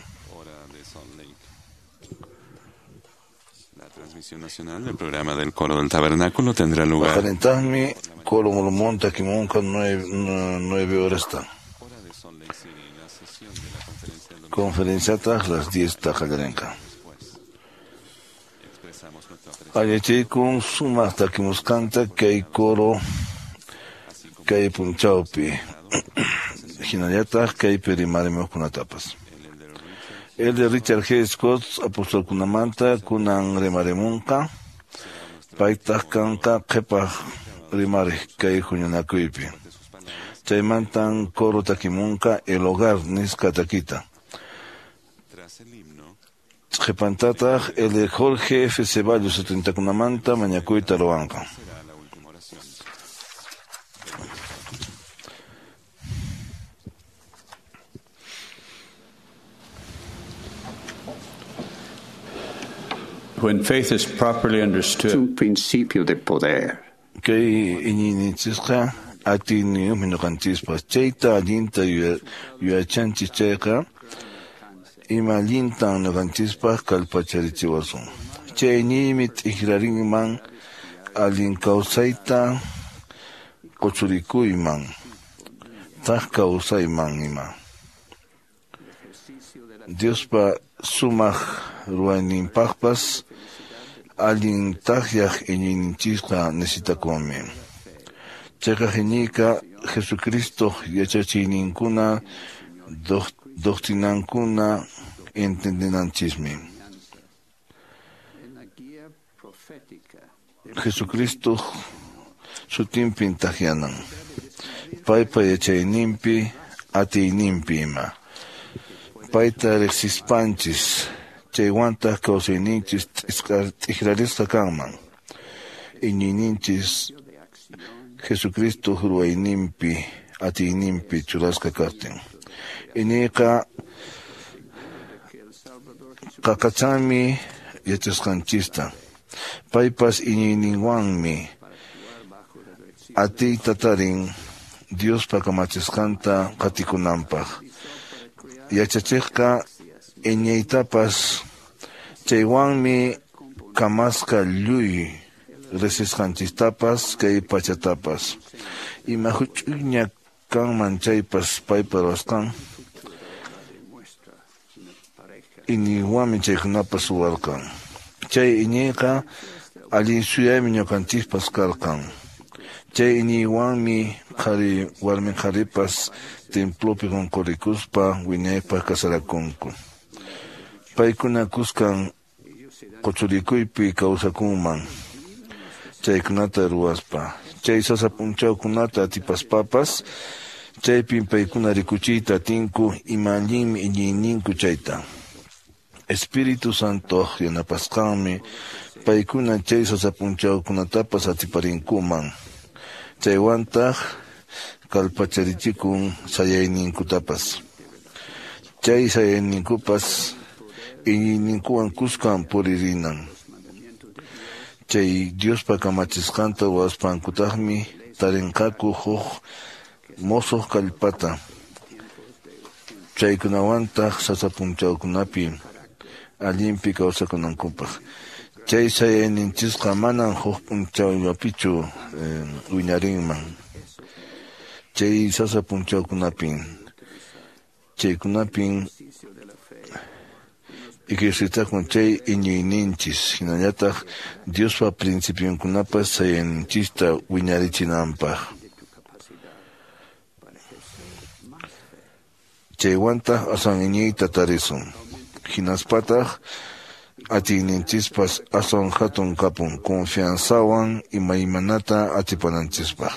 La transmisión nacional del programa del Coro del Tabernáculo tendrá lugar. Paqarintaqmi Coro Mormón takimunqa nueve horas ta. Conferenciataq las diez ta qallarinqa. Añachaykun sumaq takimusqanta kay coro kay punchawpi hinallataq kaypi rimarimuqkunatapas. El de Richard G. Scott apostolkunamanta kunan rimarimunqa paytaq kanqa qhipaq rimariq kay huñunakuypi. Chaymantan coro takimunqa El Hogar nisqa takita. Qhipantataq el de Jorge F. Ceballos setentakunamanta mañakuyta ruwanqa. When faith is properly understood, es un principio de poder. Kay iñiyninchisqa atiyniyuqmi ñuqanchispas chayta allinta yuyachanchis chayqa ima allintan ñuqanchispaq kallpacharichiwasun. Chay iñiymi t'ikrarinman allin kawsayta quchurikuyman thak kawsayman ima. Diospa Sumaq ruwayninpaqpas allin takyaq iñiyninchisqa necesitakunmi. Chayqa iñiyqa Jesucristo yachachiyninkuna doctrinankuna entendinanchismi. Jesucristo sutinpin takyanan, paypa yachayninpi atiyninpi ima. Payta riqsispanchis chaywantaq kawsayninchis t'ikrarisqa kanman. Iñiyninchis Jesucristo ruwayninpi atiyninpi churasqa kaqtin. Iñiyqa qaqachanmi yachasqanchista. Paypas iñiyninwanmi atiyta tarin Diospa kamachisqanta qatikunanpaq. Yachachiqqa iñiytapas chaywanmi kamasqa lluy riqsisqanchistapas kay pachatapas. Ima huch'uyña kanman chaypas paypa ruwasqan iñiywanmi chaykunapas ruwarqan. Chay iñiyqa allin suyaymi ñuqanchispas karqan. Chay iñiywanmi qhari warmi qharipas templopi qunqurikuspa wiñaypaq kasarakunku. Paykuna kuskan quchurikuypi kawsakunman chaykunata ruwaspa. Chay sasa p'unchawkunata atipaspapas chaypin paykuna rikuchiyta atinku ima allinmi iñiyninku chayta. Espíritu Santo yanapasqanmi paykuna chay sasa p'unchawkunatapas atiparinkuman. Chaywantaq kallpacharichikun sayayninkutapas. Chay sayayninkupas iñiyninkuwan kuskan puririnan. Chay Diospa kamachisqanta ruwaspankutaqmi tarinqaku huk mosoq kallpata. Chaykunawantaq sasa p'unchawkunapi allinpi kawsakunankupaq. Chay sayayninchisqa manan huk p'unchawllapichu wiñarinman. Chay sasa p'unchawkunapin chaykunapin ejercitakun chay iñiyninchis hinallataq Diospa principionkunapas sayayninchista wiñarichinanpaq. Chaywantaq aswan iñiyta tarisun. Hinaspataq atiyninchispas aswan hatun kapun confianzawan imaymanata atipananchispaq.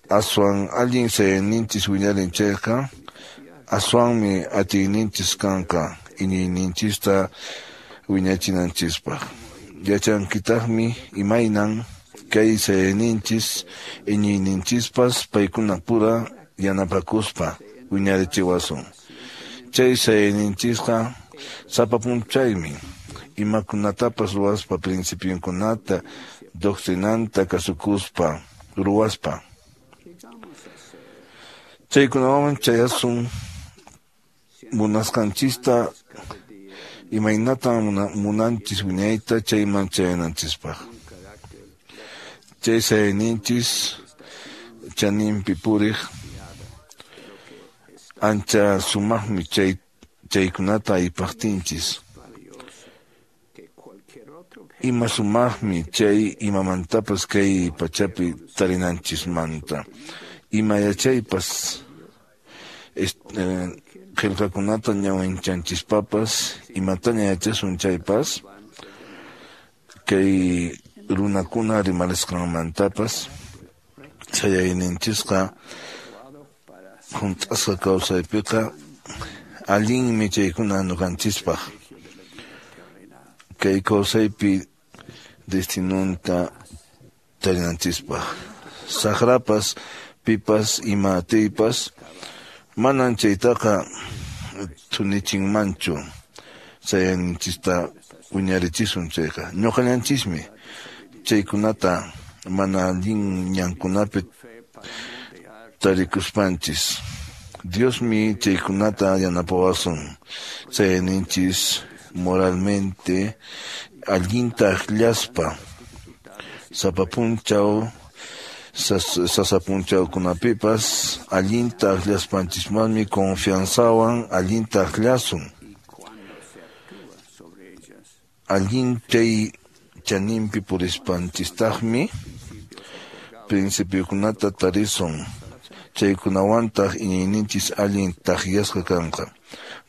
Aswan allin sayayninchis wiñarin chayqa aswanmi atiyninchis kanqa iñiyninchista wiñachinanchispaq. Yachankitaqmi imaynan kay sayayninchis iñiyninchispas paykuna pura yanapakuspa wiñarichiwasun. Chay sayayninchisqa sapa p'unchaymi imakunatapas ruwaspa principionkunata doctrinanta kasukuspa ruwaspa. Chaykunawan chayasun munasqanchista imaynatan munanchis wiñayta chayman chayananchispaq. Chay sayayninchis chaninpi puriq ancha sumaqmi chay chaykunata aypaqtinchis. Ima sumaqmi chay imamantapas kay pachapi tarinanchismanta. Ima yachaypas qillqakunata ñawinchanchishpapas imataña yachasun chaypas kay runakuna rimarisqanmantapas chayayninchisqa hunt'asqa kawsaypiqa allinmi chaykuna ñuqanchispaq kay kawsaypi destinunta tarinanchispaq saqrapas pipas ima atiypas manan chaytaqa thunichinmanchu chayayninchista wiñarichisun chayqa ñuqallanchismi chaykunata mana allin ñankunapi tarikuspanchis Diosmi chaykunata yanapawasun chayayninchis moralmente allinta akllaspa sapa punchaw sasa punchawkunapipas allinta akllaspanchismanmi confianzawan allinta aklasun. Allin chay chaninpi purispanchistaqmi principiokunata tarisun, chaykunawantaq iñiyninchis allin takyasqa kanqa.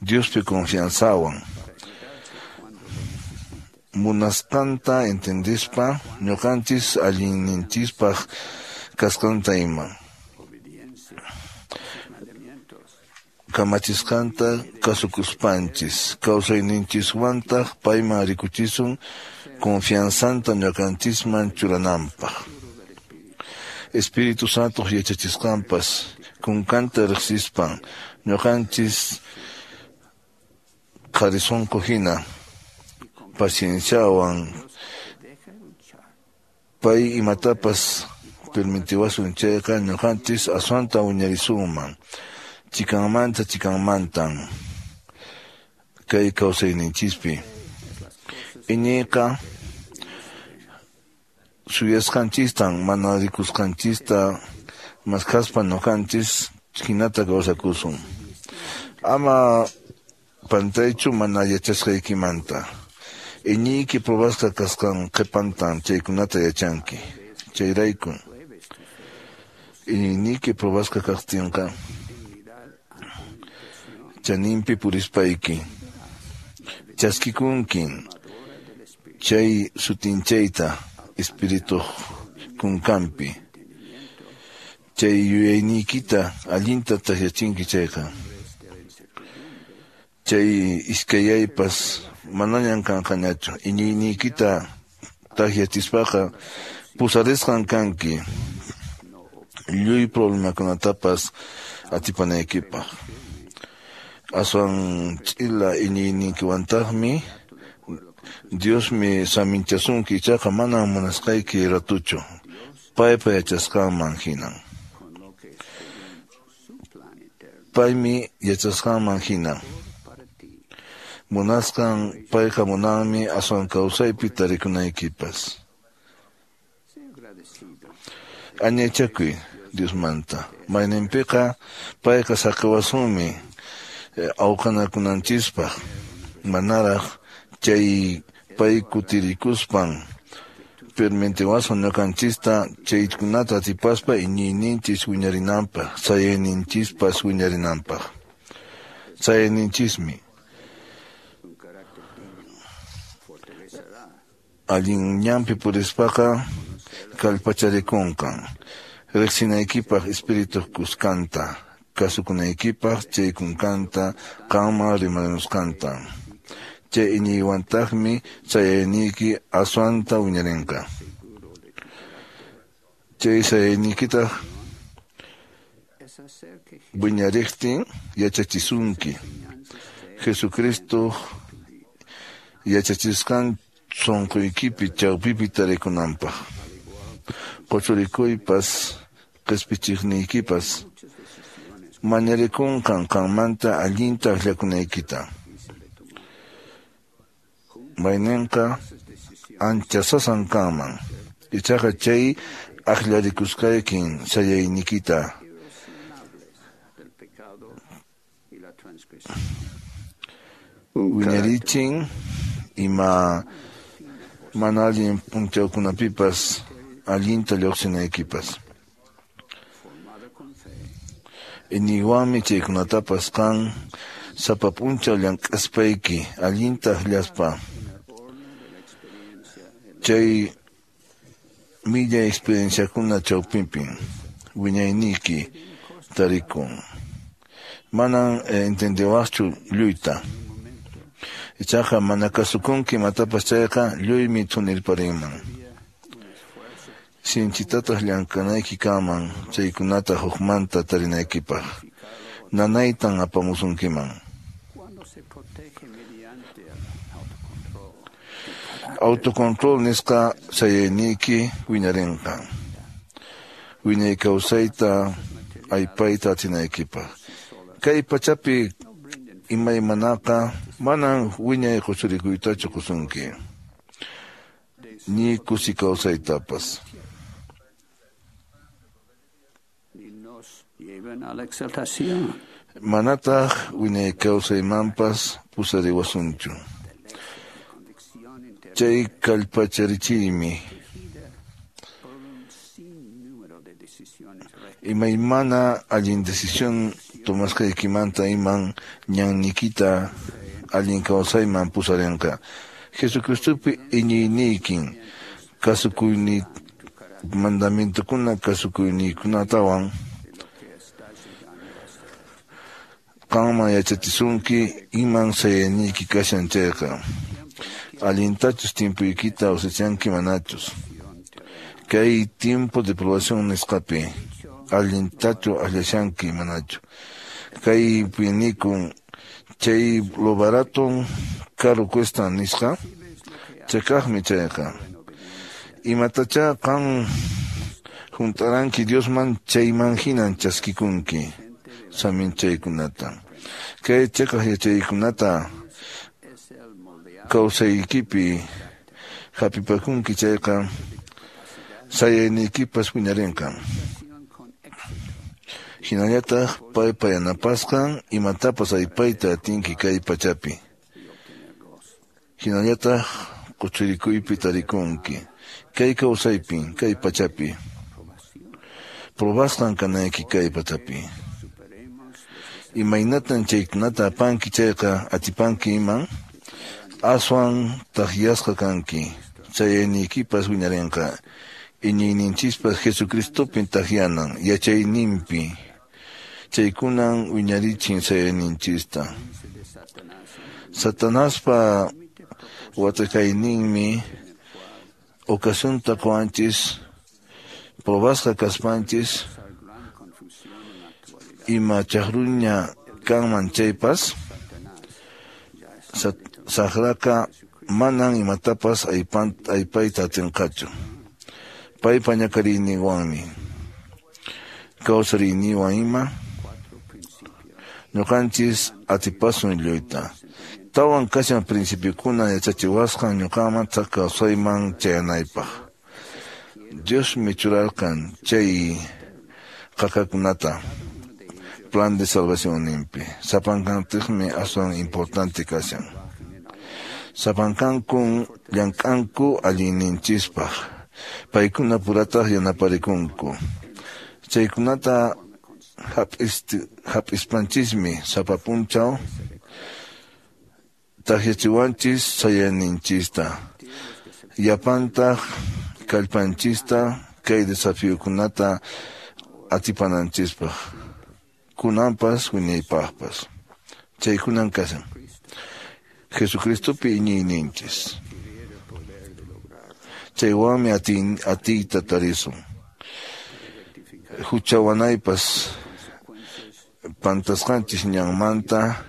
Diospi confianzawan munasqanta entendispa ñuqanchis allinninchispaq kasqanta ima kamachisqanta kasukuspanchis kawsayninchiswantaq payman rikuchisun confianzanta ñuqanchisman churananpaq. Espíritu Santo yachachisqanpas kunkanta riqsispan ñuqanchis qharisunqu hina pacienciawan pay imatapas permitiwasun chayqa ñuqanchis aswanta wiñarisunman chikanmanta chikanmantan kay kawsayninchispi. Iñiyqa suyasqanchistan mana rikusqanchista maskhaspa ñuqanchis hinata kawsakusun. Ama pantaychu mana yachasqaykimanta. Iñiyki probasqa kasqan qhipantan chaykunata yachanki. Chayrayku iñiyniyki probasqa kaqtinqa chaninpi purispayki chaskikunkin chay sutinchayta espirituq kunkanpi. Chay yuyayniykita allinta takyachinki chayqa chay iskayaypas manañan kanqañachu. Iñiyniykita takyachispaqa pusarisqan kanki lluy problemakunatapas atipanaykipaq. Aswan ch'ila iñiynikiwantaqmi Diosmi saminchasunki, ichaqa manam munasqayki ratuchu, paypa yachasqanman hinan. Paymi yachasqanman hina. Munasqan payqa munanmi aswan kawsaypi tarikunaykipas. Añaychakuy Diosmanta. Mayninpiqa payqa saqiwasunmi awqanakunanchispaq manaraq chay pay kutirikuspan permitiwasun ñuqanchista chaykunata atipaspa iñiyninchis wiñarinanpaq, sayayninchispas wiñarinanpaq. Sayayninchismi allin ñanpi purispaqa kallpacharikunqan riqsinaykipaq espirituq kuskanta, kasukunaykipaq chay kunkanta qanman rimarimusqanta. Chay iñiywantaqmi sayayniyki aswanta wiñarinqa. Chay sayayniykitaq wiñariqtin yachachisunki Jesucristo yachachisqan sunquykipi chawpipi tarikunanpaq. Quchurikuypas qispichiqniykipas mañarikunqan qanmanta allinta akllakunaykita. Mayninqa ancha sasan kanman, ichaqa chay akllarikusqaykin sayayniykita wiñarichin ima mana allin p'unchawkunapipas allinta lluqsinaykipas. Iñiywanmi chaykunatapas qan sapa p'unchaw llank'aspayki allinta akllaspa chay millay experienciakuna chawpinpin wiñayniyki tarikun. Manan entendiwaqchu lluyta. Ichaqa mana kasukunki imatapas chayqa lluymi thunirparinman. Sinchitataq llank'anayki kanman chaykunata hukmanta tarinaykipaq. Nanaytan apamusunkiman. Autocontrol nisqa sayayniyki wiñarinqa. Wiñay kawsayta aypayta atinaykipaq. Kay pachapi imaymanaqa manan wiñay quchurikuytachu qusunki, ni kusi kawsaytapas. Manataq wiñay kawsaymanpas pusariwasunchu. Chay kallpacharichiymi. Imaymana allin decisión tomasqaykimanta iman ñanniykita allin kawsayman pusarinqa. Jesucristopi iñiyniykin kasukuyni mandamientokuna kasukuyniykunatawan qanman yachachisunki iman sayayniyki kashan chayqa. Allintachus tiempoykita usachanki manachus. Kay tiempo de probación nisqapi allintachu allashanki manachu. Kay pinikun chay lo barato caro cuesta nisqa chakaqmi chayqa. Imatacha qan juntaranki Diosman chayman hinan chaskikunki saminchaykunata. Kay chakaq yachaykunata kawsaykipi hapipakunki chayqa sayayniykipas wiñarinqa. Hinallataq paypa yanapasqan imatapas aypayta atinki kay pachapi. Hinallataq quchurikuypi tarikunki. Kay kawsaypi, kay pachapi. Probasqan kanayki kay pachapi. Imaynatan chaykunata apanki chayqa atipanki iman, aswan takyasqa kanki. Chayayniykipas wiñarinqa. Iñiyninchispas Jesucristopin takyanan, yachayninpi. Chaykunan wiñarichin sayayninchista. Satanaspa watakayninmi ocasionta qowanchis, probasqa kaspanchis, ima chaqruña kanman chaypas, saqraqa manan imatapas aypayta atinqachu. Paypa ñakariyninwanmi, kawsariyninwan ima, ñuqanchis atipasun lluyta. Tawan kashan principiokuna yachachiwasqan ñuqaman kawsayman chayanaypaq. Diosmi churarqan chay qaqakunata plan de salvacionninpi. Sapankantikmi aswan importante kashan. Sapankankun llank'anku allinninchispaq. Paykuna purataq yanaparikunku. Chaykunata hap'ispanchismi sapa punchaw takyachiwanchis sayayninchista. Yapantaq kallpanchista kay desafiokunata atipananchispaq. Kunanpas wiñaypaqpas. Chaykunan kashan. Jesucristopi iñiyninchis. Chaywanmi atiyta tarisun. Huchawanaypas pantasqanchis ñanmanta,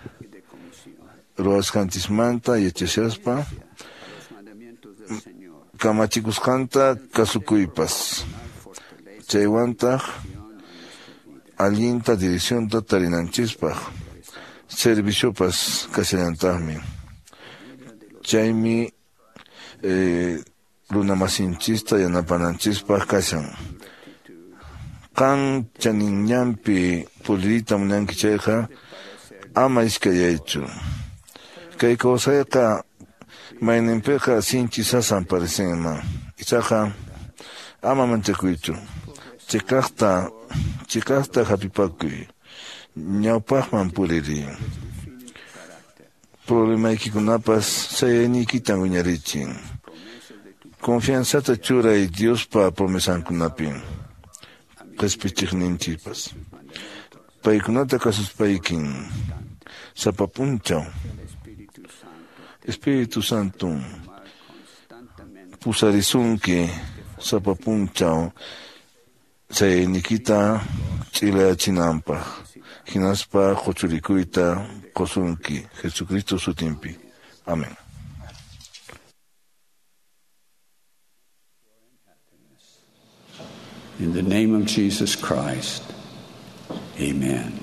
ruwasqanchismanta yachashaspa, kamachikusqanta kasukuypas. Chaywantaq allinta direccionta tarinanchispaq. Serviciopas kashallantaqmi. Chaymi eh, runamasinchista yanapananchispaq kashan. Qan chaninñanpi pulirita munanki chayqa ama iskayaychu. Kay kawsayqa mayninpiqa sinchi sasan parecenman. Ichaqa ama manchakuychu. Chiqaqta chiqaqta hapipakuy. Ñawpaqman puririy. Problemaykikunapas sayayniykitan wiñarichin. Confianzata churay Diospa promesankunapi. Qhispichiqninchikpas. Paykunata kasuspaykin sapa punchaw Espíritu Santo pusarisunki sapa punchaw sayayniykita ch'ilayachinanpaq. Hinaspa quchurikuyta qusunki Jesucristo sutinpi. Amén. In the name of Jesus Christ, amen.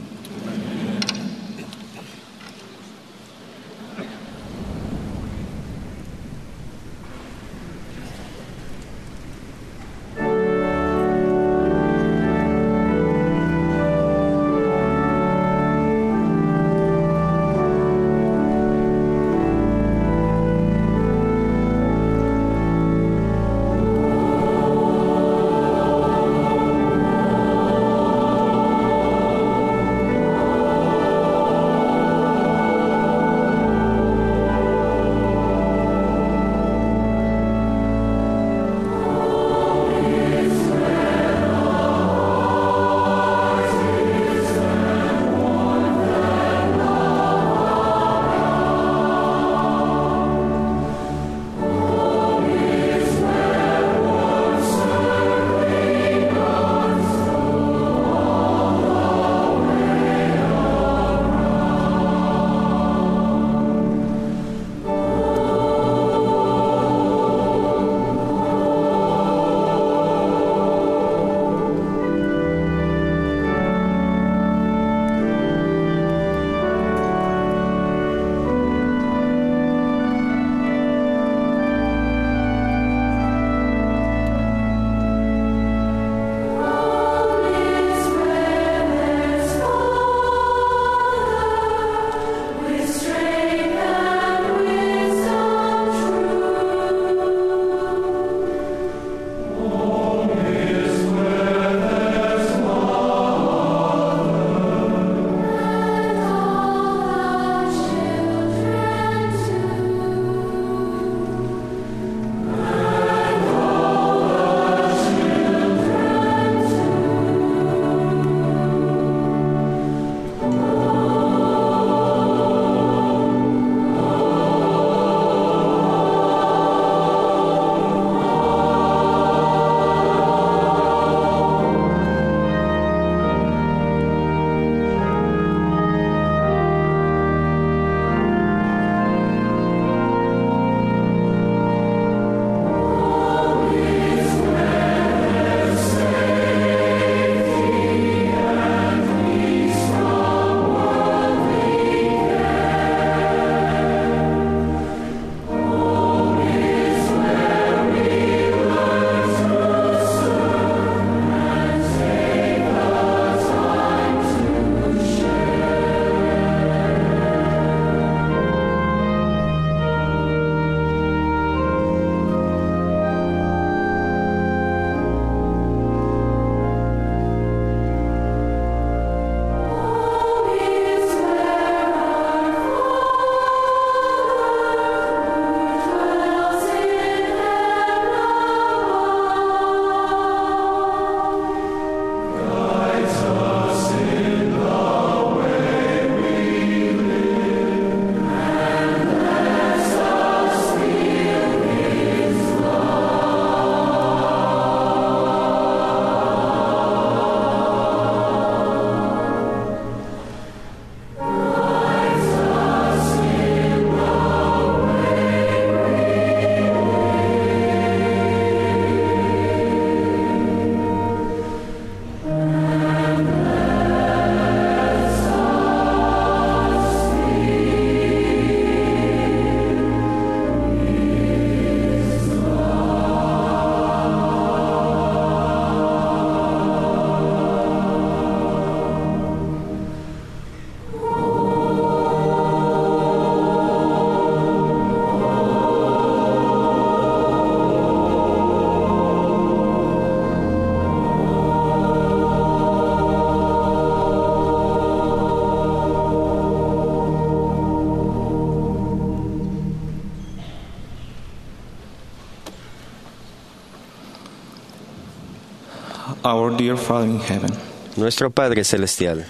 Our dear Father in heaven. Nuestro Padre Celestial.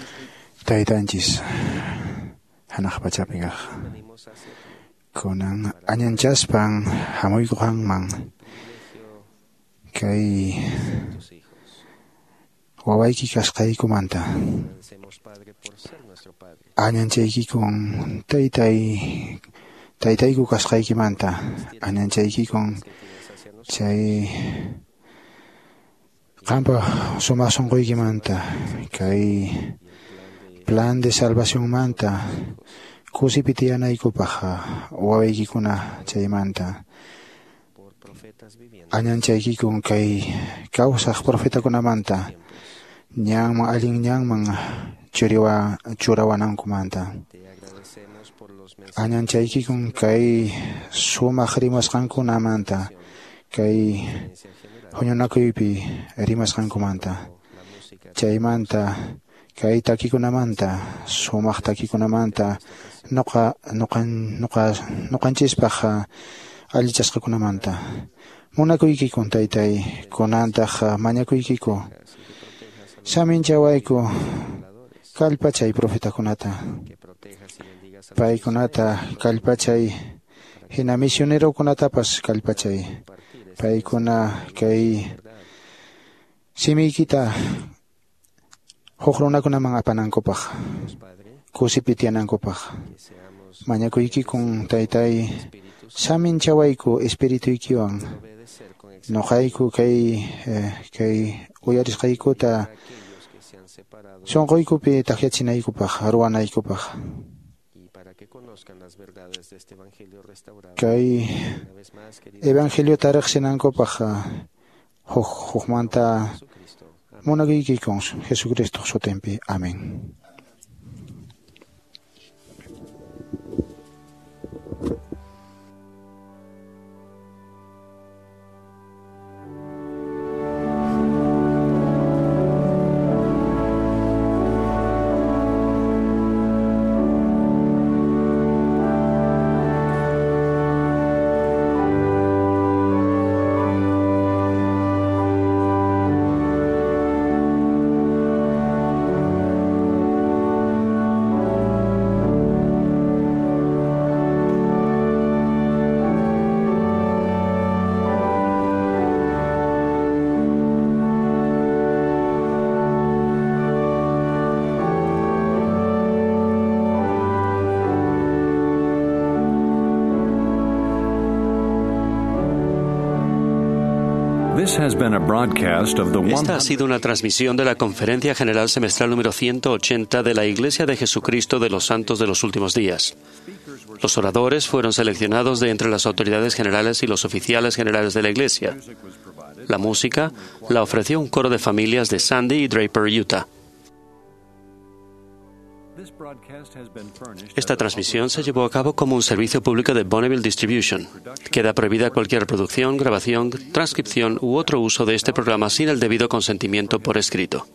Taytanchis hanaq pachapi kaq kunan añanchaspan hamuyku qanman kay wawayki kasqaykumanta añanchaykikun taytay taytayku kasqaykimanta añanchaykikun chay qampa sumaq sunquykimanta kay plan de salvacionmanta kusipi tiyanaykupaq wawaykikuna chaymanta añanchaykikun kay kawsaq profetakunamanta ñanman allin ñanman churiwa churawanankumanta añanchaykikun kay sumaq rimasqankunamanta kay huñunakuypi rimasqankumanta chaymanta kay takikunamanta sumaq takikunamanta nuqa nuqan nuqa nuqanchispaq allichasqakunamanta munakuykikun taytay kunantaq mañakuykiku saminchawayku kallpachay profetakunata paykunata kallpachay hina misionerokunatapas kallpachay paykuna kay simiykita huk runakunaman apanankupaq kusipi tiyanankupaq mañakuykikun taytay saminchawayku espirituykiwan nuqayku kay eh, kay uyarisqaykuta sunquykupi takyachinaykupaq ruwanaykupaq kay evangeliota riqsinankupaq huk hukmanta munakuykikun Jesucristo sutinpi. Amén. Esta ha sido una transmisión de la Conferencia General Semestral número ciento ochenta de la Iglesia de Jesucristo de los Santos de los Últimos Días. Los oradores fueron seleccionados de entre las autoridades generales y los oficiales generales de la Iglesia. La música la ofreció un coro de familias de Sandy y Draper, Utah. Esta transmisión se llevó a cabo como un servicio público de Bonneville Distribution. Queda prohibida cualquier reproducción, grabación, transcripción u otro uso de este programa sin el debido consentimiento por escrito.